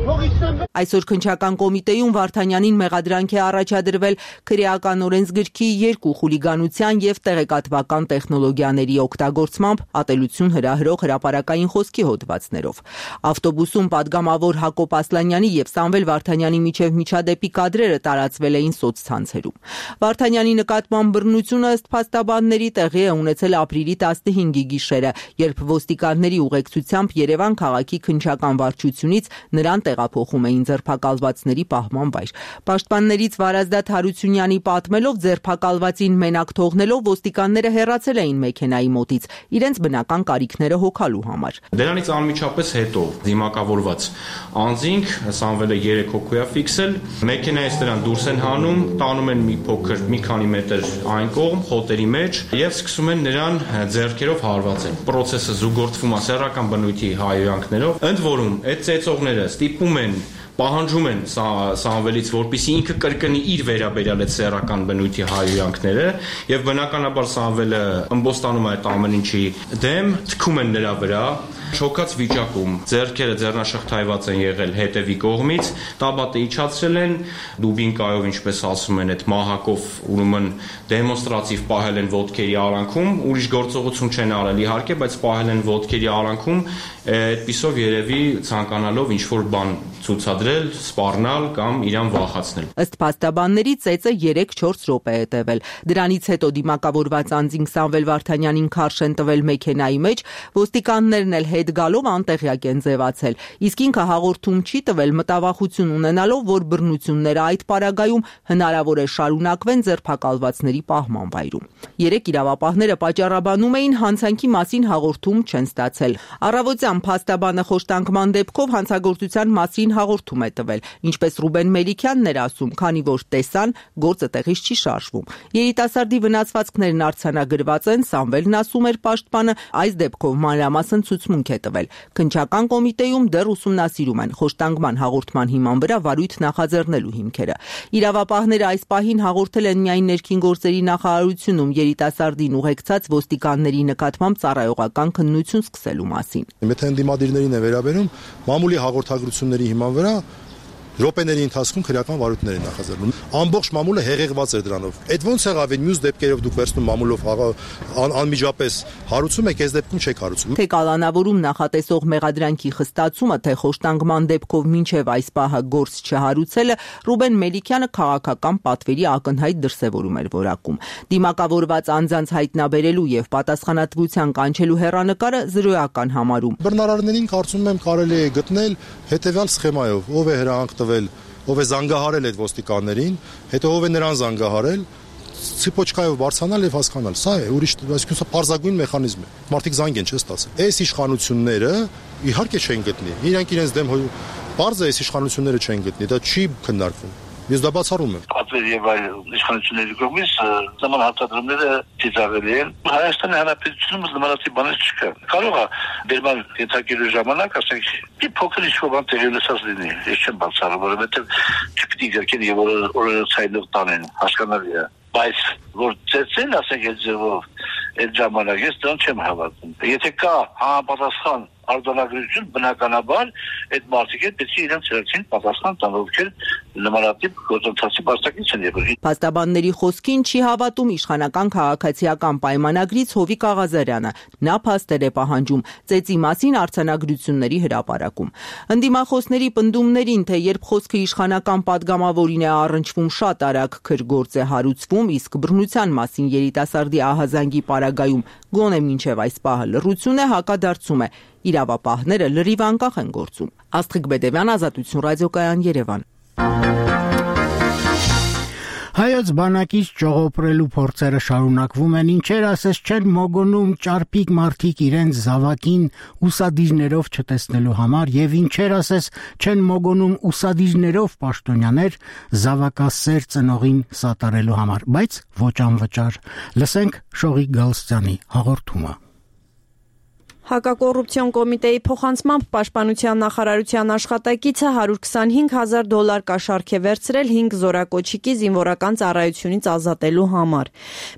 Այսօր քննչական կոմիտեում Վարդանյանին մեղադրանք է առաջադրվել քրեական օրենսգրքի 2 խուլիգանության եւ տեղեկատվական տեխնոլոգիաների օգտագործմամբ ատելություն հրահրող հրապարակային խոսքի հոդվածներով։ Ավտոբուսում падգամավոր Հակոբ Ասլանյանի եւ Սամվել Վարդանյանի միջև միջադեպի կադրերը տարածվել էին սոցցանցերում։ Վարդանյանի նկատմամբ բռնությունը ըստ փաստաբանների տեղի է ունեցել ապրիլի 15-ի գիշերը, երբ ոստիկանների ուղեկցությամբ Երևան քաղաքի քննչական վարչությունից նրան տեղափոխում էին ձերբակալվածների պահման վայր։ Պաշտպաններից Վարազդատ Հարությունյանի պատմելով ձերբակալվածին մենակ թողնելով ոստիկանները հեռացել էին մեքենայի մոտից իրենց բնական կարիքները հոգալու համար։ Դրանից անմիջապես հետո դիմակավորված անձինք Սամվելը 3 հոգու է ֆիքսել, մեքենայից նրան դուրս են հանում, տանում են մի փոքր մի քանի մետր այն կողմ խոտերի մեջ եւ սկսում են նրան ձեռքերով հարվածել։ Պրոցեսը զուգորդվում է սեռական բնույթի հայհոյանքներով, ընդ որում այդ ծեծողները ստիպում են պահանջում են Սամվելից, որպեսզի ինքը կրկնի իր վերաբերյալ այդ սեռական բնույթի հայհոյանքները, եւ բնականաբար Սամվելը ըմբոստանում է այդ ամեն ինչի դեմ, թքում են նրա վրա, շոկած վիճակում, ձեռքերը ձեռնաշղթայված են եղել հետևի կողմից, տաբատը իջացրել են, դուբինկայով, ինչպես ասում են, այդ մահակով ուրեմն դեմոնստրատիվ պահել են ոտքերի արանքում, ուրիշ գործողություն չեն արել իհարկե, բայց պահել են ոտքերի արանքում, այդպիսով երևի ցանկանալով ինչ-որ բան ցուցադրել, սպառնալ կամ իրան վախացնել։ Ըստ փաստաբանների ծեծը 3-4 րոպե է տևել։ Դրանից հետո դիմակավորված անձին Սամվել Վարդանյանին քարշ են տվել մեքենայի մեջ, ոստիկաններն էլ հետ գալով անտեղյակ են ձևացել, իսկ ինքը հաղորդում չի տվել մտավախություն ունենալով, որ բռնությունները այդ պարագայում հնարավոր է շարունակվեն ձերբակալվածների պահման վայրում։ 3 իրավապահները պատճառաբանում էին հանցանքի մասին հաղորդում չեն ստացել։ Առավոտյան փաստաբանը խոշտանգման դեպքով հանցագործության մասին հաղորդում է տվել, ինչպես Ռուբեն Մելիքյանն էր ասում, քանի որ տեսան, գործը տեղից չի շարժվում։ Երիտասարդի վնասվածքներն արձանագրված են, Սամվելն ասում էր պաշտպանը, այս դեպքով մանրամասն ցուցմունք է տվել։ Քննչական կոմիտեում դեռ ուսումնասիրում են խոշտանգման հաղորդման հիման վրա վարույթ նախաձեռնելու հիմքերը։ Իրավապահները այս պահին հաղորդել են միայն ներքին գործերի նախարարությունում երիտասարդին ուղեկցած ոստիկանների նկատմամբ ծառայողական քննություն սկսելու մասին։ Եթե ընդդիմադիրներին է վերաբերում, մամուլի հաղորդագրությունների հիման վրա րոպեների ընթացքում քրեական վարույթներ են նախաձեռնում։ Ամբողջ մամուլը հեղեղված էր դրանով։ Այդ ոնց եղավ, այն մյուս դեպքերով դուք վերցնում մամուլով անմիջապես հարուցում եք, այս դեպքում չեք հարուցում։ Թե կալանավորում նախատեսող մեղադրանքի խստացումը, թե խոշտանգման դեպքով մինչև այս պահը գործ չհարուցելը Ռուբեն Մելիքյանը քաղաքական պատվերի ակնհայտ դրսևորում էր որակում։ Դիմակավորված անձանց հայտնաբերելու եւ պատասխանատվության կանչելու հեռանկարը զրոյական համարում։ Բռնարարներին կարծում եմ կարելի է գտնել հետեւյալ սխեմայով, ով է հրահանգ ով է զանգահարել այդ ոստիկաններին, հետո ով է նրան զանգահարել, ցիպոչկայով բարձրանալ եւ հասկանալ։ Սա է ուրիշ, այսինքն սա պարզագույն մեխանիզմ է։ Մարդիկ զանգ են չստացել։ Այս իշխանությունները իհարկե չեն գտնի։ Իրանք իրենց դեմ պարզ է, այս իշխանությունները չեն գտնի, դա չի քննարկվում։ Ես դա բացառում եմ։ Պատվեր եւ այլ իշխանությունների կողմից նման հարտադրումները ծիծաղելի են։ Հայաստանի Հանրապետությունում նմանատիպ բաներ չկա։ Կարող է դերման ենթարկելու ժամանակ, ասենք, մի փոքր ինչ-որ բան տեղի ունեցած լինի։ Ես չեմ բացառում, որովհետեւ չպիտի գրքեն եւ օրերոցայնով տանեն, հասկանալի է։ Բայց որ ծեցեն, ասենք, այդ ձևով այդ ժամանակ ես դրան չեմ հավատում։ Եթե կա համապատասխան արձանագրություն, բնականաբար այդ մարդիկ պետք է իրենց ծրագրին պատասխան տան, ովքեր նմանատիպ գործընթացի բացակից են եղել։ Փաստաբանների խոսքին չի հավատում իշխանական քաղաքացիական պայմանագրից Հովիկ Աղազարյանը։ Նա փաստեր է պահանջում ծեծի մասին արձանագրությունների հրապարակում։ Ընդդիմախոսների պնդումներին, թե երբ խոսքը իշխանական падգամավորին է առնչվում, շատ արագ քրգործ է հարուցվում, իսկ բռնության մասին երիտասարդի ահազանգի պարագայում գոնե մինչև այս պահը լռություն է, հակադարձում է իրավապահները լրիվ անկախ են գործում։ Աստղիկ Բեդևյան, Ազատություն ռադիոկայան, Երևան։ Հայոց բանակից ճողոպրելու փորձերը շարունակվում են, ինչեր ասես չեն մոգոնում ճարպիկ մարդիկ իրենց զավակին ուսադիրներով չտեսնելու համար եւ ինչեր ասես չեն մոգոնում ուսադիրներով պաշտոնյաներ զավակասեր ծնողին սատարելու համար, բայց ոչ անվճար։ Լսենք Շողիկ Գալստյանի հաղորդումը։ Հակակոռուպցիոն կոմիտեի փոխանցմամբ Պաշտպանության նախարարության աշխատակիցը $125,000 կաշառք է վերցրել 5 զորակոչիկի զինվորական ծառայությունից ազատելու համար։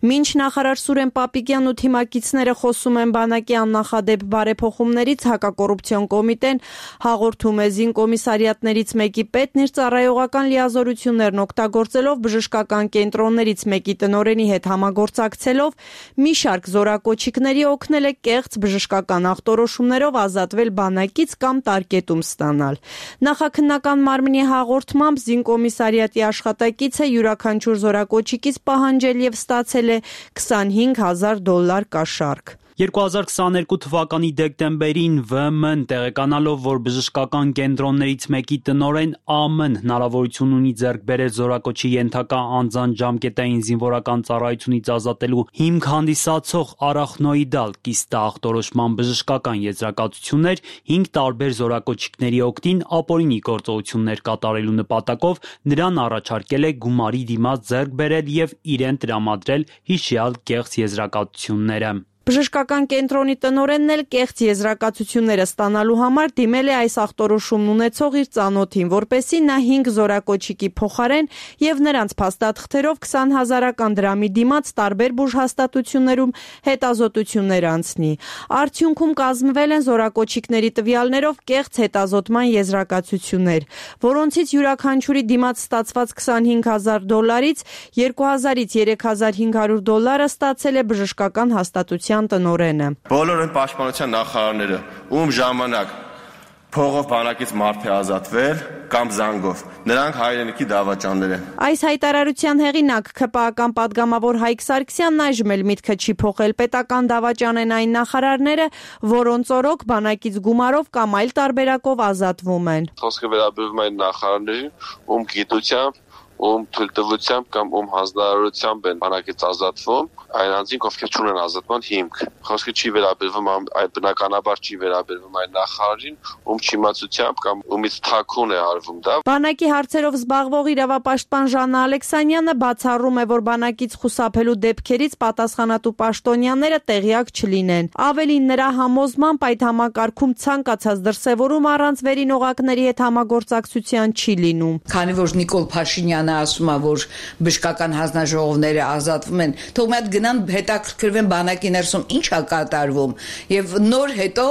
Մինչ նախարար Սուրեն Պապիկյանն ու թիմակիցները խոսում են բանակի աննախադեպ բարեփոխումներից, հակակոռուպցիոն կոմիտեն հաղորդում է զինկոմիսարիատներից մեկի պետն իր ծառայողական լիազորություններն օգտագործելով բժշկական կենտրոններից մեկի տնօրենի հետ համագործակցելով մի շարք զորակոչիկների օգնել է կեղծ բժշկական ախտորոշումներով ազատվել բանակից կամ տարկետում ստանալ։ Նախաքննական մարմնի հաղորդմամբ զինկոմիսարիատի աշխատակիցը յուրաքանչյուր զորակոչիկից պահանջել եւ ստացել է $25,000 կաշառք։ 2022 թվականի դեկտեմբերին ՎՄ-ն տեղեկանալով, որ բժշկական կենտրոններից մեկի տնօրեն ԱՄ-ն հնարավորություն ունի ձեռք բերել զորակոչի ենթակա անձանց ժամկետային զինվորական ծառայությունից ազատելու հիմք հանդիսացող արախնոիդալ կիստա ախտորոշման բժշկական եզրակացություններ 5 տարբեր զորակոչիկների օգտին ապօրինի գործողություններ կատարելու նպատակով նրան առաջարկել է գումարի դիմաց ձեռք բերել եւ իրեն տրամադրել հիշյալ կեղծ եզրակացությունները։ Բժշկական կենտրոնի տնօրենն էլ կեղծ եզրակացությունները ստանալու համար դիմել է այս ախտորոշումն ունեցող իր ծանոթին, որպեսզի նա 5 զորակոչիկի փոխարեն եւ նրանց փաստաթղթերով 20,000 դրամի դիմաց տարբեր բուժհաստատություններում հետազոտություններ անցնի։ Արդյունքում կազմվել են զորակոչիկների տվյալներով կեղծ հետազոտման եզրակացություններ, որոնցից յուրաքանչյուրի դիմաց ստացված $25,000-ից $2,000-3,500 ստացել է բժշկական հաստատության տնօրենը։ Բոլոր են պաշտպանության նախարարները, ում ժամանակ փողով բանակից մարդ է ազատվել կամ զանգով, նրանք հայրենիքի դավաճաններ են։ Այս հայտարարության հեղինակ ՔՊԱ-ական падգամավոր Հայկ Սարգսյանն այժմ էլ միտքը չի փոխել, պետական դավաճան են այն նախարարները, որոնց օրոք բանակից գումարով կամ այլ տարբերակով ազատվում են։ Խոսքը վերաբերում է նախարարներին, ում գիտությամբ, ում թույլտվությամբ կամ ում հանձնարարությամբ են բանակից ազատվում, այն անձինք, ովքեր չունեն ազատման հիմք։ Խոսքը չի վերաբերվում այն բնականաբար չի վերաբերվում այն նախարարին, ում չիմացությամբ կամ ումից թաքուն է արվում դա։ Բանակի հարցերով զբաղվող իրավապաշտպան Ժաննա Ալեքսանյանը բացառում է, որ բանակից խուսափելու դեպքերից պատասխանատու պաշտոնյաները տեղյակ չլինեն։ Ավելին, նրա համոզմամբ այդ համակարգում ցանկացած դրսևորում առանց վերին օղակների հետ համագործակցության չի լինում։ Քանի որ Նիկոլ Փաշինյանը ասում է, որ բժշկական հանձնաժողովները ազատվում են, թող մի հատ գնան հետաքրքրվեն բանակի ներսում ինչ է կատարվում եւ նոր հետո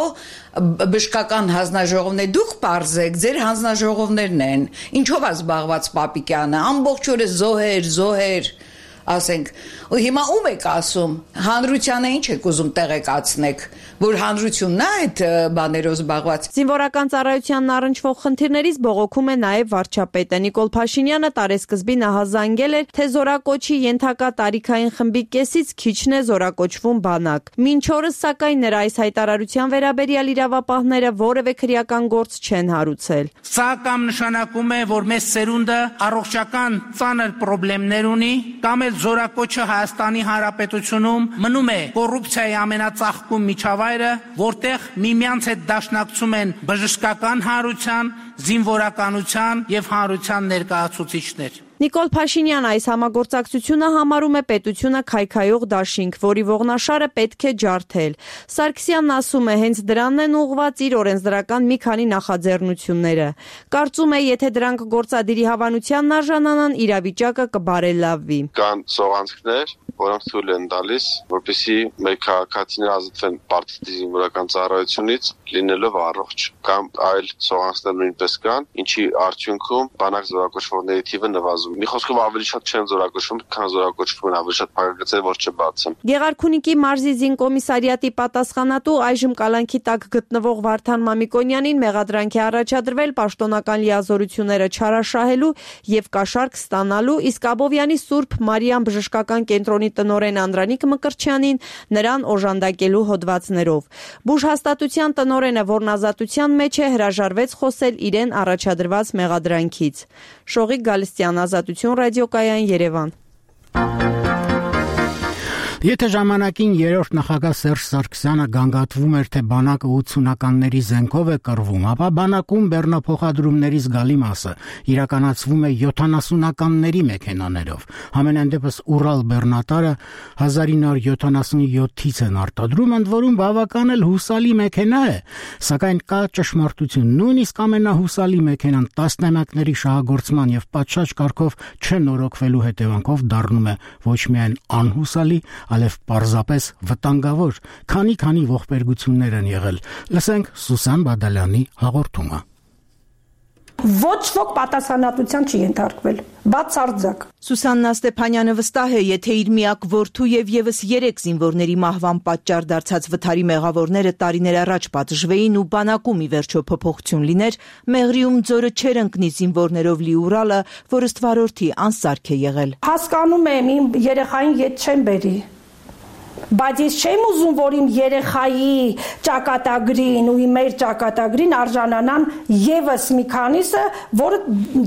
բժշկական հանձնաժողովներ դուք պարզեք, ձեր հանձնաժողովներն են, ինչով է զբաղված Պապիկյանը, ամբողջ օրը զոհեր, ասենք, ու հիմա ում եք ասում, հանրությանը ինչ եք ուզում տեղեկացնեք, որ հանրությունն է այդ բաներով զբաղված։ Զինվորական ծառայությանն առնչվող խնդիրներից բողոքում է նաև վարչապետը։ Նիկոլ Փաշինյանը տարեսկզբին ահազանգել էր, թե զորակոչի ենթակա տարիքային խմբի կեսից քիչն է զորակոչվում բանակ։ Մինչ օրս, սակայն, նրա այս հայտարարության վերաբերյալ իրավապահները որևէ քրեական գործ չեն հարուցել։ Սա կամ նշանակում է, որ մեծ սերունդը առողջական ծանր խնդիրներ ունի, կամ էլ զորակոչը Հայաստանի Հանրապետությունում մնում է կոռուպցիայի ամենածաղկում միջավայրը, որտեղ միմյանց հետ դաշնակցում են բժշկական հանրության, զինվորականության եւ հանրության ներկայացուցիչներ։ Նիկոլ Փաշինյանը այս համագործակցությունը համարում է պետությունը քայքայող դաշինք, որի ողնաշարը պետք է ջարդել։ Սարգսյանն ասում է, հենց դրանն են ուղղված իր օրենսդրական մի քանի նախաձեռնությունները։ Կարծում է, եթե դրանք գործադիրի հավանությանն արժանանան, իրավիճակը կբարելավվի։ Կան սողանցքներ, որոնք թույլ են տալիս, որպեսզի մեր քաղաքացիները ազատվեն պարտադիր զինվորական ծառայությունից, լինելով առողջ, կամ այլ սողանցքներ նույնպես կան, ինչի արդյունքում բանակ զորակոչվողների թիվը նվազում։ Մի խոսքով ավելի շատ չեն զորակոչվում, քան զորակոչվում են, ավելի շատ փակագծեր, որ չբացեն։ Գեղարքունիքի մարզի զինկոմիսարիատի պատասխանատու այժմ կալանքի տակ գտնվող Վարդան Մամիկոնյանին մեղադրանք է առաջադրվել պաշտոնական լիազորությունները չարաշահելու եւ կաշառք ստանալու, իսկ Աբովյանի Սուրբ Մարիամ բժշկական կենտրոնի տնօրեն Անդրանիկ Մկրտչյանին նրան օժանդակելու հոդվածներով։ Բուժհաստատության տնօրենը, որն ազատության մեջ է, հրաժարվեց խոսել իրեն առաջադրված մեղադրանքից։ Շողիկ Գալստյան, Ազատություն ռադիոկայան, Երևան։ Եթե ժամանակին երրորդ նախագահ Սերժ Սարգսյանը գանգատվում էր, թե բանակը 80-ականների զենքով է կռվում, ապա բանակում բեռնափոխադրումների զգալի մասը իրականացվում է 70-ականների մեքենաներով։ Համենայն դեպս Ուրալ բեռնատարը 1977-ից են արտադրում, ընդ որում բավական էլ հուսալի մեքենա է, սակայն կա ճշմարտություն, նույնիսկ ամենահուսալի մեքենան տասնամյակների շահագործման եւ պատշաճ կարգով չնորոգվելու հետևանքով դառնում է ոչ միայն անհուսալի, այլև պարզապես վտանգավոր, քանի ողբերգություններ են եղել։ Լսենք Սուսան Բադալյանի հաղորդումը։ Ոչ ոք պատասխանատվության չի ենթարկվել, բացարձակ։ Սուսաննա Ստեփանյանը վստահ է, եթե իր միակ որդու եւ եւս 3 զինվորների մահվան պատճառ դարձած վթարի մեղավորները տարիներ առաջ պատժվեին ու բանակում ի վերջո փոփոխություն լիներ, Մեղրիում ձորը չեր ընկնի զինվորներով լի Ուրալը, որ ըստ վարորդի անսարք է եղել։ Հասկանում եմ, իմ երեխային ետ չեմ բերի, բայց ես չեմ ուզում, որ իմ երեխայի ճակատագրին ու մեր ճակատագրին արժանանան եւս մի քանիսը, որը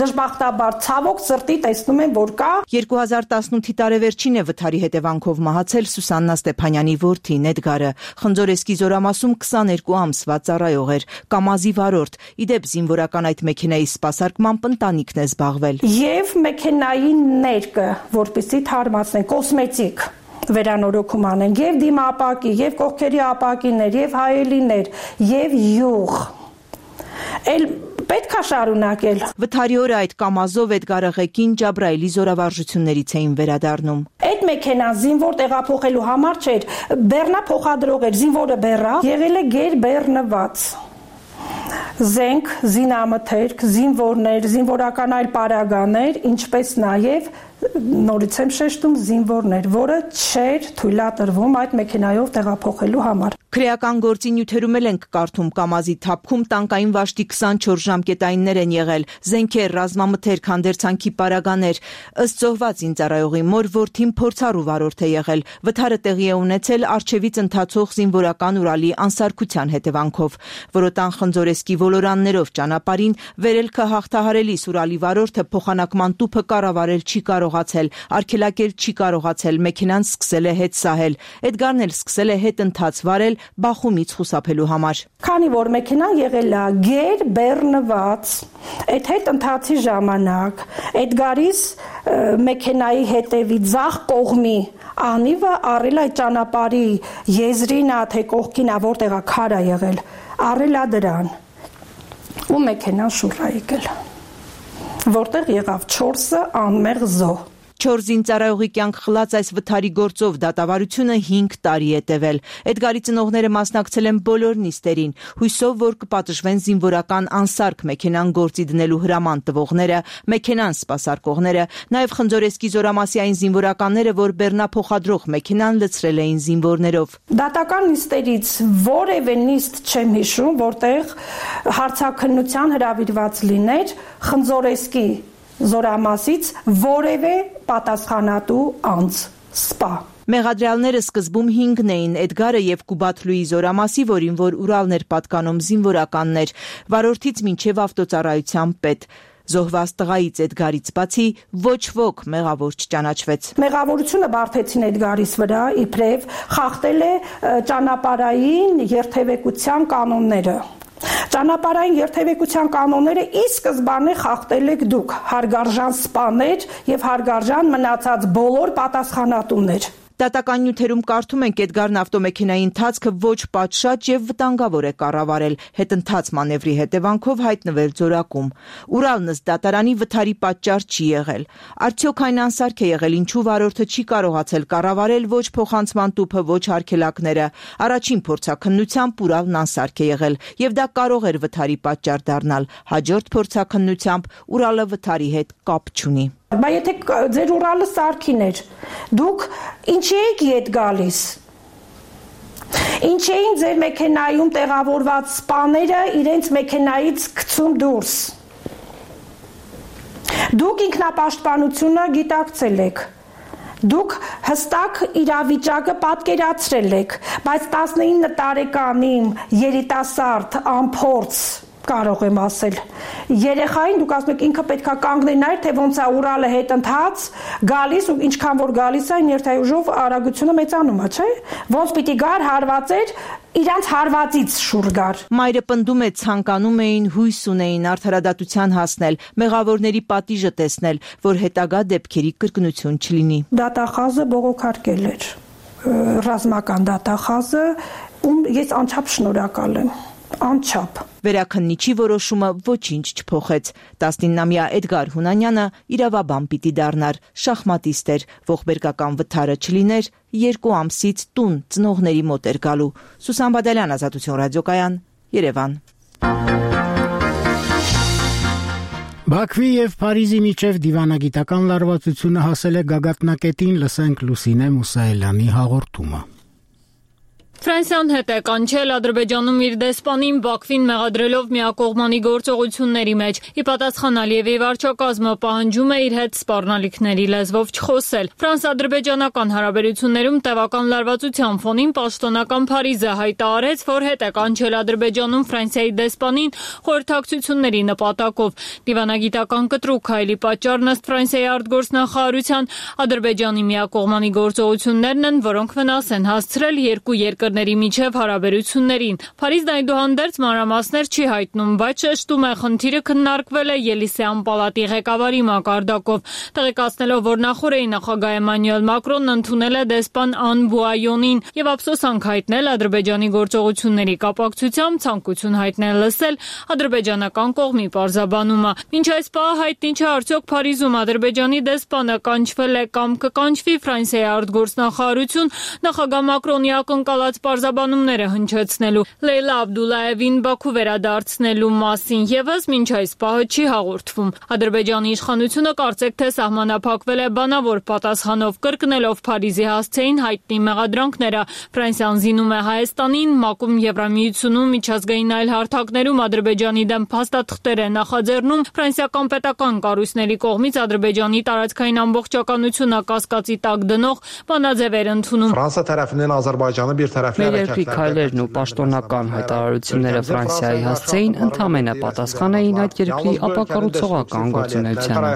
դժբախտաբար ցավոք սրտի տեսնում եմ, որ կա։ 2018-ի տարեվերջին է վթարի հետևանքով մահացել Սուսաննա Ստեփանյանի որդին Էդգարը։ Խնձորեսկի զորամասում 22 ամսվա ծառայող էր, կամազի վարորդ։ Իդեպ զինվորական այդ մեքենայի սպասարկմամբ ընտանիքն է զբաղվել։ Եվ մեքենայի ներկը, որպեսզի թարմացնեն, կոսմետիկ վերանորոգում անեն եւ դիմապակի, եւ կողքերի ապակիներ, եւ հայելիներ, եւ յուղ։ Էլ պետք է շարունակել։ Վթարի օրը այդ կամազով Էդգարը ղեկին Ջաբրայելի զորավարժություններից էին վերադառնում։ Այդ մեքենան զինվոր տեղափոխելու համար չէր, բեռնա փոխադրող էր, զինվորը բեռա, եղել է գեր բեռնված։ Զենք, զինամթերք, զինվորներ, զինվորական այլ պարագաներ, ինչպես նաև նորից եմ շեշտում զինվորներ, որը չէր թույլատրվում այդ մեքենայով տեղափոխելու համար։ Քրեական գործի նյութերում ենք կարդում կամազի թափքում տանկային վաշտի 24 ժամկետայիններ են եղել, զենքեր, ռազմամթերք, հանդերձանքի պարագաներ։ Ըստ զոհված ինձարայողի մոր որդին փորձառու վարորդ է եղել։ Վթարը տեղի է ունեցել առջևից ընթացող զինվորական Ուրալի անսարքության հետևանքով։ Որոտան Խնձորեսկի ոլորաններով ճանապարհին վերելքը հաղթահարելիս Ուրալի վարորդը փոխանակման տուփը կառավարել չի կարողացել, արգելակել չի կարողացել, մեքենան սկսել է հետ սահել։ Էդգարն էլ սկսել է հետ ընթաց վարել բախումից խուսափելու համար։ Քանի որ մեքենան եղել է գեր բեռնված, այդ հետ ընթացի ժամանակ Էդգարիս մեքենայի հետևի ձախ կողմի անիվը առել այդ ճանապարհի եզրին է թե կողքին է, որտեղ է քար է եղել, առել է դրան ու մեքենան շուռ է եկել, որտեղ եղավ 4 անմեղ զոհ։ 4 զինծառայողի կյանք խլած այս վթարի գործով դատավարությունը 5 տարի է տևել։ Էդգարի ծնողները մասնակցել են բոլոր նիստերին, հույսով, որ կպատժվեն զինվորական անսարք մեքենան գործի դնելու հրաման տվողները, մեքենան սպասարկողները, նաև Խնձորեսկի զորամասիային զինվորականները, որ բեռնափոխադրող մեքենան լցրել էին զինվորներով։ Դատական նիստերից որևէ նիստ չեմ հիշում, որտեղ հարցաքննության հրավիրված լիներ Խնձորեսկի զորամասից որևէ պատասխանատու անձ սպա։ Մեղադրյալները սկզբում 5-ն էին՝ Էդգարը եւ Կուբաթլուի զորամասի, որին որ Ուրալն էր պատկանում զինվորականներ, վարորդից մինչեւ ավտոծառայության պետ։ Զոհված տղայից Էդգարից բացի ոչ ոք մեղավոր չճանաչվեց։ Մեղավորությունը բարթեցին Էդգարիս վրա, իբրև խախտել է ճանապարհային երթևեկության կանոնները։ Ճանապարհային երթևեկության կանոնները ի սկզբանե խախտել եք դուք, հարգարժան սպաներ եւ հարգարժան մնացած բոլոր պատասխանատուներ։ Դատական նյութերում կարդում ենք Էդգարն ավտոմեքենայի ընթացքը ոչ պատշաճ եւ վտանգավոր է կառավարել, հետընթաց մանևրի հետևանքով հայտնվել ձորակում։ Ուրալն ըստ դատարանի վթարի պատճառ չի եղել։ Արդյոք այն անսարք է եղել, ինչու վարորդը չի կարողացել կառավարել ոչ փոխանցման տուփը, ոչ արգելակները։ Առաջին փորձաքննությամբ Ուրալն անսարք է եղել եւ դա կարող էր վթարի պատճառ դառնալ։ Հաջորդ փորձաքննությամբ Ուրալը վթարի հետ կապ չունի։ Բայց եթե ձեր Ուրալը սարքին էր, դուք ինչի եք ետ գալիս։ Ինչ էին ձեր մեքենայում տեղավորված սպաները իրենց մեքենայից գցում դուրս։ Դուք ինքնապաշտպանությունը գիտակցել եք։ Դուք հստակ իրավիճակը պատկերացրել եք, բայց 19 տարեկան իմ երիտասարդ անփորձ կարող եմ ասել երեխային դուք ասում եք ինքը պետքա կանգնենար թե ոնց է Ուրալը հետ ընթաց գալիս ու ինչքան որ գալիս է ներթայուժով արագությունը մեծանում է, չէ՞։ Ոնց պիտի գար հարվածեր իրանց հարվածից շուռ գար։ Մայրը պնդում է ցանկանում էին հույս ունեին արդարադատության հասնել, մեղավորների պատիժը տեսնել, որ հետագա դեպքերի կրկնություն չլինի։ Դատախազը բողոքարկել էր ռազմական դատախազը, ում ես անչափ շնորհակալ եմ։ Անչափ։ Վերաքննիչի որոշումը ոչինչ չփոխեց։ 19-ամյա Էդգար Հունանյանը իրավաբան պիտի դառնար, շախմատիստ էր, ողբերգական վթարը չլիներ, 2 ամսից տուն ծնողների մոտ էր գալու։ Սուսան Բադալյան, Ազատություն ռադիոկայան, Երևան։ Բաքվի եւ Փարիզի միջև դիվանագիտական լարվածությունը հասել է գագաթնակետին, լսենք Լուսինե Մուսայելյանի հաղորդումը։ Ֆրանսիան հետ է կանչել Ադրբեջանում իր դեսպանին Բաքվին մեղադրելով միակողմանի գործողությունների մեջ։ Ի պատասխան Ալիևի վարչակազմը պահանջում է իր հետ սպառնալիքների լեզվով չխոսել։ Ֆրանս-ադրբեջանական հարաբերություններում տևական լարվածության ֆոնին պաշտոնական Փարիզը հայտարարեց, որ հետ է կանչել Ադրբեջանում Ֆրանսիայի դեսպանին խորհրդակցությունների նպատակով։ Դիվանագիտական կտրուկ հայելի պատճառն ըստ Ֆրանսիայի արտգործնախարարության Ադրբեջանի միակողմանի գործողություններն են, որոնք վնաս են հասցրել երկու երկրների երկրների միջև հարաբերություններին։ Փարիզն այդուհանդերձ մանրամասներ չի հայտնում, բայց շեշտում է, խնդիրը քննարկվել է Ելիսեյան պալատի ղեկավարի մակարդակով, տեղեկացնելով, որ նախորդի նախագահ Էմանուել Մակրոնն ընդունել է դեսպան Ան Բուայոնին եւ ափսոսանք հայտնել Ադրբեջանի գործողությունների կապակցությամբ, ցանկություն հայտնել լսել ադրբեջանական կողմի պարզաբանումը։ Մինչ այս պահը հայտնի չէ, արդյոք Փարիզում Ադրբեջանի դեսպանը կանչվել է կամ կկանչվի Ֆրանսիայի արտգործնախարարություն նախագահ Մակրոնի ակնկալած պարզաբանումները հնչեցնելու, Լեյլա Աբդուլլայևին Բաքու վերադարձնելու մասին եւս մինչ այս պահը չի հաղորդվում։ Ադրբեջանի իշխանությունը կարծեք թե սահմանափակվել է բանավոր պատասխանով, կրկնելով Փարիզի հասցեին հայտնի մեղադրանքները։ Ֆրանսիան զինում է Հայաստանին, ՄԱԿ-ում, Եվրամիությունում, միջազգային այլ հարթակներում Ադրբեջանի դեմ փաստաթղթեր է նախաձեռնում։ Ֆրանսիական պետական կառույցների կողմից Ադրբեջանի տարածքային ամբողջականությունը կասկածի տակ դնող բանաձևեր ընդունում։ Ֆրանսիա տարածքներն Ադրբեջանը bir tərəfli երկրի քայլերն ու պաշտոնական հայտարարությունները Ֆրանսիայի հասցեին ընդամենը պատասխան էին այդ երկրի ապակառուցողական գործունեությանը։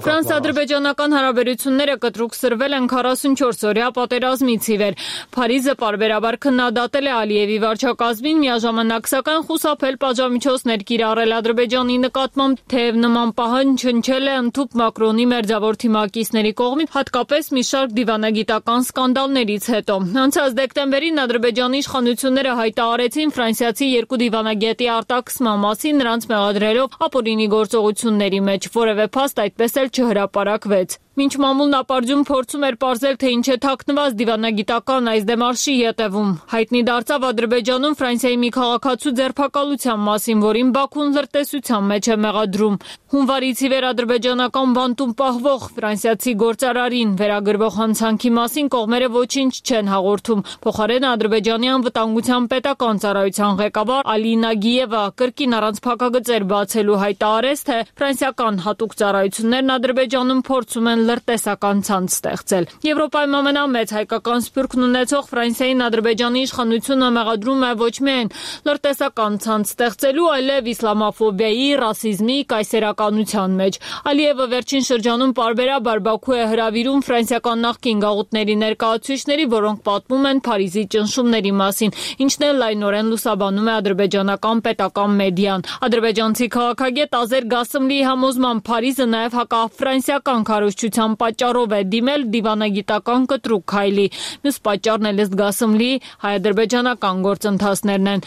Ֆրանս-ադրբեջանական հարաբերությունները կտրուկ սրվել են 44-օրյա պատերազմից ի վեր։ Փարիզը պարբերաբար քննադատել է Ալիևի վարչակազմին, միաժամանակ սակայն խուսափել պատժամիջոցներ կիրառել Ադրբեջանի նկատմամբ, թեև նման պահանջ հնչել է ընդհուպ Մակրոնի մերձավոր թիմակիցների կողմից, հատկապես մի շարք դիվանագիտական սկանդալներից հետո։ Անցած դեկտեմբերին Ադրբեջանի իշխանությունները հայտարարեցին ֆրանսիացի երկու դիվանագետի արտաքսման մասին, նրանց մեղադրելով ապօրինի գործողությունների մեջ, որևէ փաստ այդպես էլ չհրապարակվեց։ Մինչ մամուլն ապարդյուն փորձում էր պարզել, թե ինչ է թաքնված դիվանագիտական այս դեմարշի ետևում, հայտնի դարձավ Ադրբեջանում Ֆրանսիայի մի քաղաքացու ձերբակալության մասին, որին Բաքուն լրտեսության մեջ է մեղադրում։ Հունվարից ի վեր ադրբեջանական բանտում պահվող ֆրանսիացի գործարարին վերագրվող հանցանքի մասին կողմերը ոչինչ չեն հաղորդում։ Փոխարենը Ադրբեջանի անվտանգության պետական ծառայության ղեկավար Ալի Նագիևը կրկին առանց փակագծեր բացելու հայտարարեց, թե ֆրանսիական հատուկ ծառայություններն Ադրբեջանում փորձում են լրտեսական ցանց ստեղծել։ Եվրոպայում ամենամեծ հայկական սփյուռքն ունեցող Ֆրանսիային Ադրբեջանի իշխանությունը մեղադրում է ոչ միայն լրտեսական ցանց ստեղծելու, այլև իսլամաֆոբիայի, ռասիզմի, կայսերականության մեջ։ Ալիևը վերջին շրջանում պարբերաբար Բաքու է հրավիրում ֆրանսիական նախկին գաղութների ներկայացուցիչների, որոնք պատմում են Փարիզի ճնշումների մասին, ինչն էլ լայնորեն լուսաբանում է ադրբեջանական պետական մեդիան։ Ադրբեջանցի քաղաքագետ Ազեր Գասմլիի համոզմամբ Փարիզը նաև հակաֆրանսիական քարոզչության պատճառով է դիմել դիվանագիտական կտրուկ քայլի։ Մյուս պատճառն էլ ըստ Գասմլիի հայ-ադրբեջանական գործընթացներն են։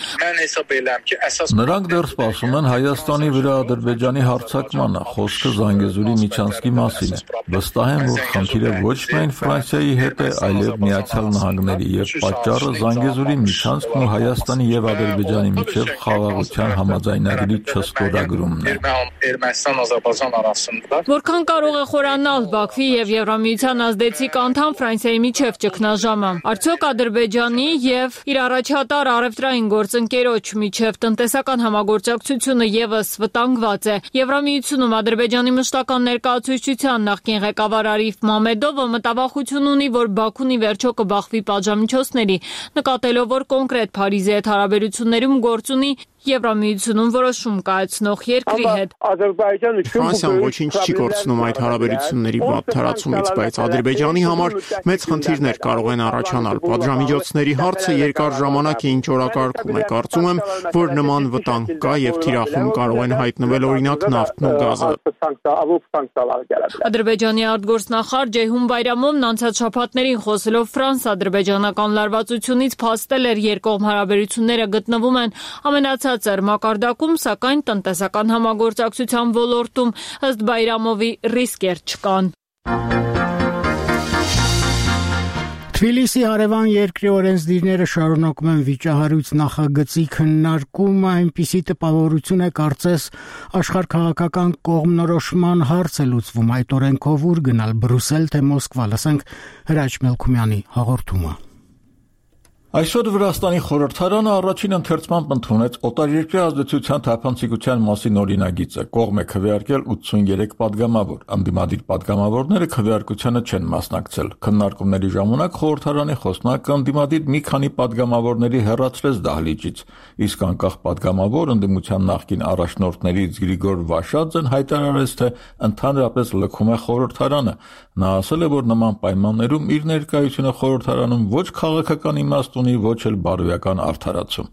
Նրանք դեռ սպասում են Հայաստանի վրա Ադրբեջանի հարձակմանը, խոսքը Զանգեզուրի միջանցքի մասին է։ Վստահ եմ, որ խնդիրը ոչ միայն Ֆրանսիայի հետ է, այլև Միացյալ Նահանգների, եւ պատճառը Զանգեզուրի միջանցքն ու Հայաստանի եւ Ադրբեջանի միջև խաղաղության համաձայնագրի չստորագրումն է։ Որքան կարող է խորանալ Բաքվի եւ Եվրամիության ազդեցիկ անդամ Ֆրանսիայի միջև ճգնաժամը։ Արդյոք Ադրբեջանի եւ իր առաջատար առևտրային գործընկերոջ միջև տնտեսական համագործակցությունը եւս վտանգված է։ Եվրամիությունում Ադրբեջանի մշտական ներկայացուցչության նախկին ղեկավար Արիֆ Մամեդովը մտավախություն ունի, որ Բաքուն ի վերջո կբախվի պատժամիջոցների, նկատելով, որ կոնկրետ Փարիզի հետ հարաբերություններում գործ ունի Եվրամիությունում որոշում կայացնող երկրի հետ։ Ֆրանսիան ոչինչ չի կորցնում այդ հարաբերությունների վատ թարացումից, բայց Ադրբեջանի համար մեծ խնդիրներ կարող են առաջանալ։ Պատժամիջոցների հարցը երկար ժամանակ է ինչ օրակարգում է։ Կարծում եմ, որ նման վտանգ կա եւ թիրախում կարող են հայտնվել օրինակ նավթն ու գազը։ Ադրբեջանի արտգործնախարար Ջեյհուն Բայրամովն անցած շաբաթներին խոսելով ֆրանս-ադրբեջանական լարվածությունից փաստել էր երկկողմ հարաբերությունները գտնվում են ամենացածր մակարդակում, սակայն տնտեսական համագործակցության ոլորտում ըստ Բայրամովի ռիսկեր չկան։ Թբիլիսի հարևան երկրի օրենսդիրները շարունակում են վիճահարույց նախագծի քննարկումը, այնպիսի տպավորություն է կարծես աշխարհքաղաքական կողմնորոշման հարց է լուծվում այդ օրենքով ուր գնալ Բրուսել թե Մոսկվա, լսենք Հրաչ Մելքումյանի հաղորդումը։ Այսօր Վրաստանի խորհրդարանը առաջին ընթերցմամբ ընդունեց օտարերկրյա ազդեցության թափանցիկության մասին օրինագիծը։ Կողմ է քվեարկել 83 падգամավոր։ Ընդդիմադիր падգամավորները քվեարկությանը չեն մասնակցել։ Քննարկումների ժամանակ խորհրդարանի խոսնակը ընդդիմադիր մի քանի падգամավորների հեռացրեց դահլիճից, իսկ անկախ падգամավոր ընդդիմության նախկին առաջնորդներից Գրիգոր Վաշաձեն հայտարարեց, թե ընդհանրապես լքում է խորհրդարանը։ Նա ասել է, որ նման պայմաններում իր ներկայությունը խորհրդարանում ոչ քաղաքական իմաստ ունի, ոչ էլ բարոյական արդարացում։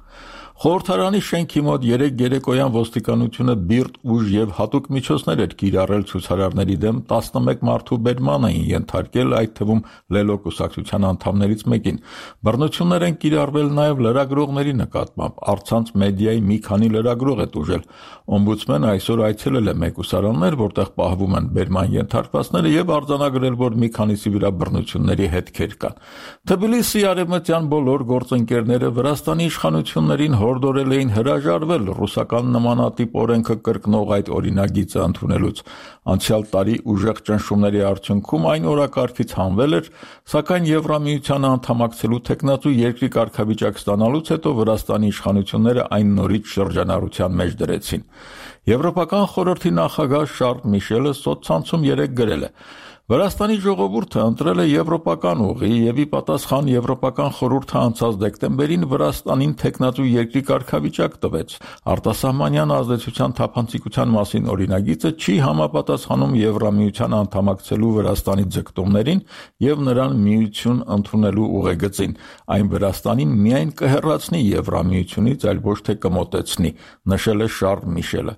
Խորհրդարանի շենքի մոտ 3 երեկոյան ոստիկանությունը բիրտ ուժ եւ հատուկ միջոցներ էր կիրառել ցուցարարների դեմ 11 մարդու բերման էին ենթարկել, այդ թվում Լելո կուսակցության անդամներից մեկին։ Բռնություններ են կիրառվել նաեւ լրագրողների նկատմամբ, առցանց մեդիայի մի քանի լրագրող է տուժել։ Օմբուդսմենը այսօր այցելել է մեկուսարաններ, որտեղ պահվում են բերման ենթարկվածները եւ արձանագրել, որ մի քանիսի վրա բռնությունների հետքեր կան։ Թբիլիսի արևմտյան բոլոր գործընկերները Վրաստանի իշխանություններին հորդորել էին հրաժարվել ռուսական նմանատիպ օրենքը կրկնող այդ օրինագիծը ընդունելուց։ Անցյալ տարի ուժեղ ճնշումների արդյունքում այն օրակարգից հանվել էր, սակայն Եվրամիությանը անդամակցելու թեկնածու երկրի կարգավիճակ ստանալուց հետո Վրաստանի իշխանությունները այն նորից շրջանառության մեջ դրեցին։ Եվրոպական խորհրդի նախագահ Շարլ Միշելը սոցցանցում գրել է. Վրաստանի ժողովուրդը ընտրել է եվրոպական ուղի եւ ի պատասխան Եվրոպական խորհուրդը անցած դեկտեմբերին Վրաստանին թեկնածու երկրի կարգավիճակ տվեց։ Արտասահմանյան ազդեցության թափանցիկության մասին օրինագիծը չի համապատասխանում Եվրամիության անդամակցելու Վրաստանի ձգտումներին եւ նրան միություն ընդունելու ուղեգծին։ Այն Վրաստանին միայն կհեռացնի Եվրամիությունից, այլ ոչ թե կմոտեցնի, նշել է Շարլ Միշելը։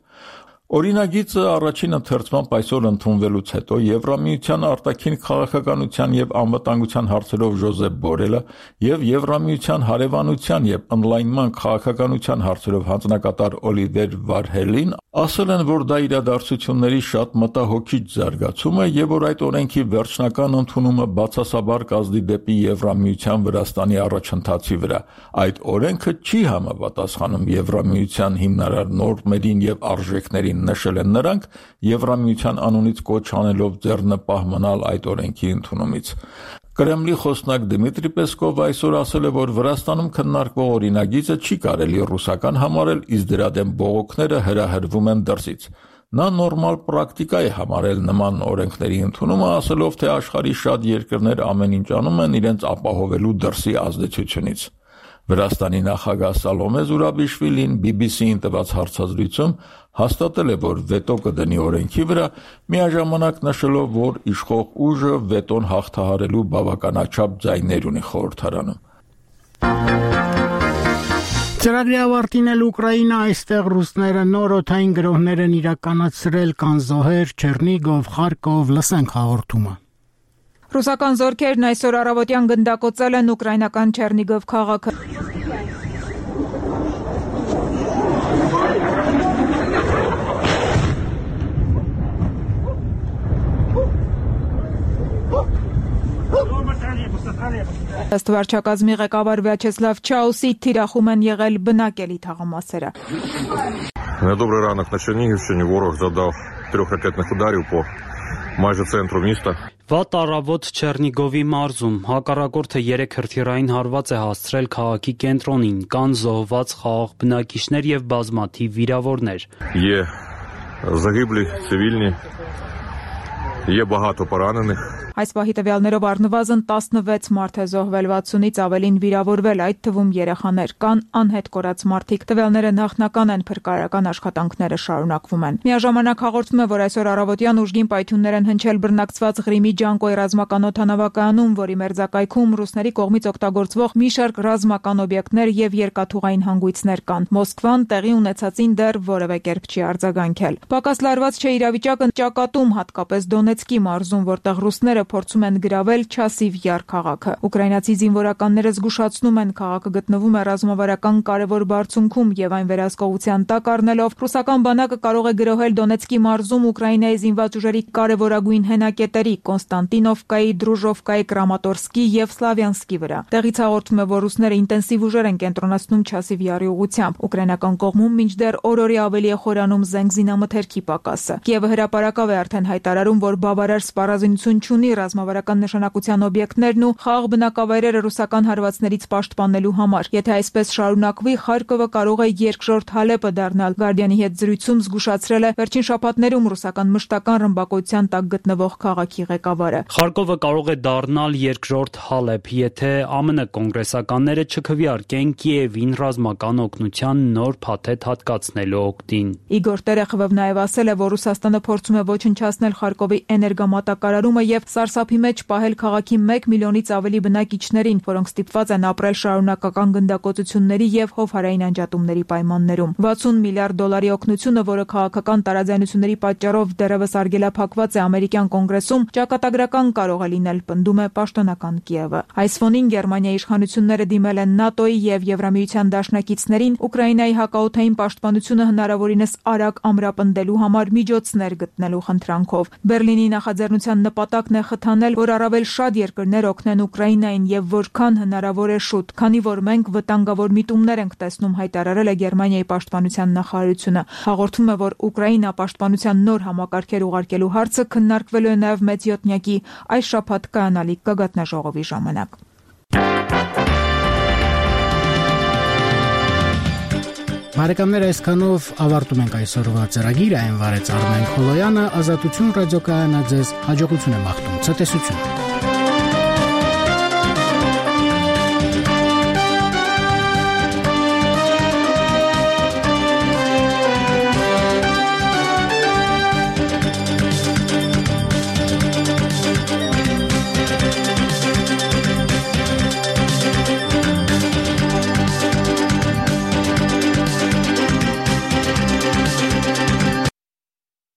Օրինագիծը առաջին ընթերցմամբ այսօր ընդունվելուց հետո Եվրամիության արտաքին քաղաքականության եւ անվտանգության հարցերով Ժոզեփ Բորելը եւ Եվրամիության հարևանության եւ օնլայնման քաղաքականության հարցերով հանձնակատար Օլիվեր Վարհելին ասել են, որ դա իրադարձությունների շատ մտահոգիչ զարգացում է եւ որ այդ օրենքի վերջնական ընդունումը բացասաբար կազդի դեպի Եվրամիության Վրաստանի առաջընթացի վրա։ Այդ օրենքը չի համապատասխանում Եվրամիության հիմնարար նորմերին եւ արժեքներին, նշել են նրանք, Եվրամիության անունից կոչ անելով ձեռնպահ մնալ այդ օրենքի ընդունումից։ Կրեմլի խոսնակ Դմիտրի Պեսկովը այսօր ասել է, որ Վրաստանում քննարկվող օրինագիծը չի կարելի ռուսական համարել, իսկ դրա դեմ բողոքները հրահրվում են դրսից։ Նա նորմալ պրակտիկա է համարել նման օրենքների ընդունումը, ասելով, թե աշխարհի շատ երկրներ ամեն ինչ անում են իրենց ապահովելու դրսի ազդեցությունից։ Վրաստանի նախագահ Սալոմե Զուրաբիշվիլին BBC-ին տված հարցազրույցում հաստատել է, որ վետո կդնի օրենքի վրա, միաժամանակ նշելով, որ իշխող ուժը վետոն հաղթահարելու բավականաչափ ձայներ ունի խորհրդարանում։ Ծրագրի ավարտին էլ Ուկրաինա, այստեղ ռուսները նոր օդային գրոհներ են իրականացրել Կանզոհեր, Չերնիգով, Խարկով, լսենք հաղորդումը։ Ռուսական զորքերն այսօր առավոտյան գնդակոծել են ուկրաինական Չերնիգով քաղաքը։ Ըստ վարչակազմի ղեկավար Վյաչեսլավ Չաուսի թիրախում են եղել բնակելի թաղամասերը։ Добрий ранок на Чернігівщині. Ворог завдав 3 ракетних ударів по майже центру міста. Վատ առավոտ Չերնիգովի մարզում հակառակորդը 3 հրթիռային հարված է հասցրել քաղաքի կենտրոնին, կան զոհված խաղաղ բնակիչներ եւ բազմաթիվ վիրավորներ։ Є загиблі цивільні, є багато поранених. Այս պահի տվյալներով առնվազն 16 մարդ է զոհվել, 60-ից ավելին վիրավորվել, այդ թվում երեխաներ, կան անհետ կորած մարդիկ։ Տվյալները նախնական են, փրկարարական աշխատանքները շարունակվում են։ Միաժամանակ հաղորդվում է, որ այսօր առավոտյան ուժգին պայթյուններ են հնչել բռնակցված Ղրիմի Ջանկոյի ռազմական օդանավակայանում, որի մերձակայքում ռուսների կողմից օգտագործվող մի շարք ռազմական օբյեկտներ եւ երկաթուղային հանգույցներ կան։ Մոսկվան տեղի ունեցածին դեռ որևէ կերպ չի արձագանքել։ Պակաս լարված չէ իրավիճակը ճակատում, հատկապես Դոնեցկի մարզում, որտեղ ռուսները փորձում են գրավել Չասիվ Յար քաղաքը։ Ուկրաինացի զինվորականները զգուշացնում են, քաղաքը գտնվում է ռազմավարական կարևոր բարձունքում եւ այն վերահսկողության տակ առնելով ռուսական բանակը կարող է գրոհել Դոնեցկի մարզում Ուկրաինայի զինված ուժերի կարևորագույն հենակետերի Կոնստանտինովկայի, Դրուժովկայի, Կրամատորսկի եւ Սլավյանսկի վրա։ Տեղից հաղորդում է, որ ռուսները ինտենսիվ ուժեր են կենտրոնացնում Չասիվ Յարի ուղղությամբ։ Ուկրաինական կողմում մինչդեռ օր-օրի ավելի է խորանում զենգ զինամթերքի պակասը։ Կիևը հրապարակավ է արդեն հայտարարում, որ բավարար սպառազինություն չունի ռազմավարական նշանակության օբյեկտներն ու խաղաղ բնակավայրերը ռուսական հարվածներից պաշտպանելու համար։ Եթե այսպես շարունակվի, Խարկովը կարող է երկրորդ Հալեպը դառնալ։ Գարդիանի հետ զրույցում զգուշացրել է վերջին շաբաթներում ռուսական մշտական ռմբակոծության տակ գտնվող քաղաքի ղեկավարը։ Խարկովը կարող է դառնալ երկրորդ Հալեպ, եթե ԱՄՆ կոնգրեսականները չքվեարկեն Կիևին ռազմական օգնության նոր փաթեթ հատկացնելու օգտին։ Իգոր Տերեխովը նաև ասել է, որ Ռուսաստանը փորձում է ոչնչացնել Խարկովի էներգամատակարարումը եւ սարսափի մեջ պահել քաղաքի 1 միլիոնից ավելի բնակիչներին, որոնք ստիպված են ապրել շարունակական գնդակոծությունների եւ հովհարային անջատումների պայմաններում։ 60 միլիարդ դոլարի օգնությունը, որը քաղաքական տարաձայնությունների պատճառով դեռևս արգելափակված է ամերիկյան կոնգրեսում, ճակատագրական կարող է լինել, պնդում է պաշտոնական Կիևը։ Այս ֆոնին Գերմանիայի իշխանությունները դիմել են ՆԱՏՕ-ի եւ Եվրամիության դաշնակիցներին Ուկրաինայի հակաօդային պաշտպանությունը հնարավորինս արագ ամրապնդելու համար միջոցներ գտնելու խնդրանքով։ Բերլինի նախաձեռնության նպատակն է խթանել, որ առավել շատ երկրներ օգնեն Ուկրաինային եւ որքան հնարավոր է շուտ, քանի որ մենք վտանգավոր միտումներ ենք տեսնում, հայտարարել է Գերմանիայի պաշտպանության նախարարությունը։ Հաղորդվում է, որ Ուկրաինա պաշտպանության նոր համակարգեր ուղարկելու հարցը քննարկվելու է նաև մեծ յոթնյակի այս շաբաթ կայանալիք գագաթնաժողովի ժամանակ։ Բարեկամներ, այսքանով ավարտում ենք այսօրվա ծրագիրը, այն վարեց Արմեն Խոլոյանը, Ազատություն ռադիոկայանը ձեզ հաջողություն է մաղթում, ցտեսություն։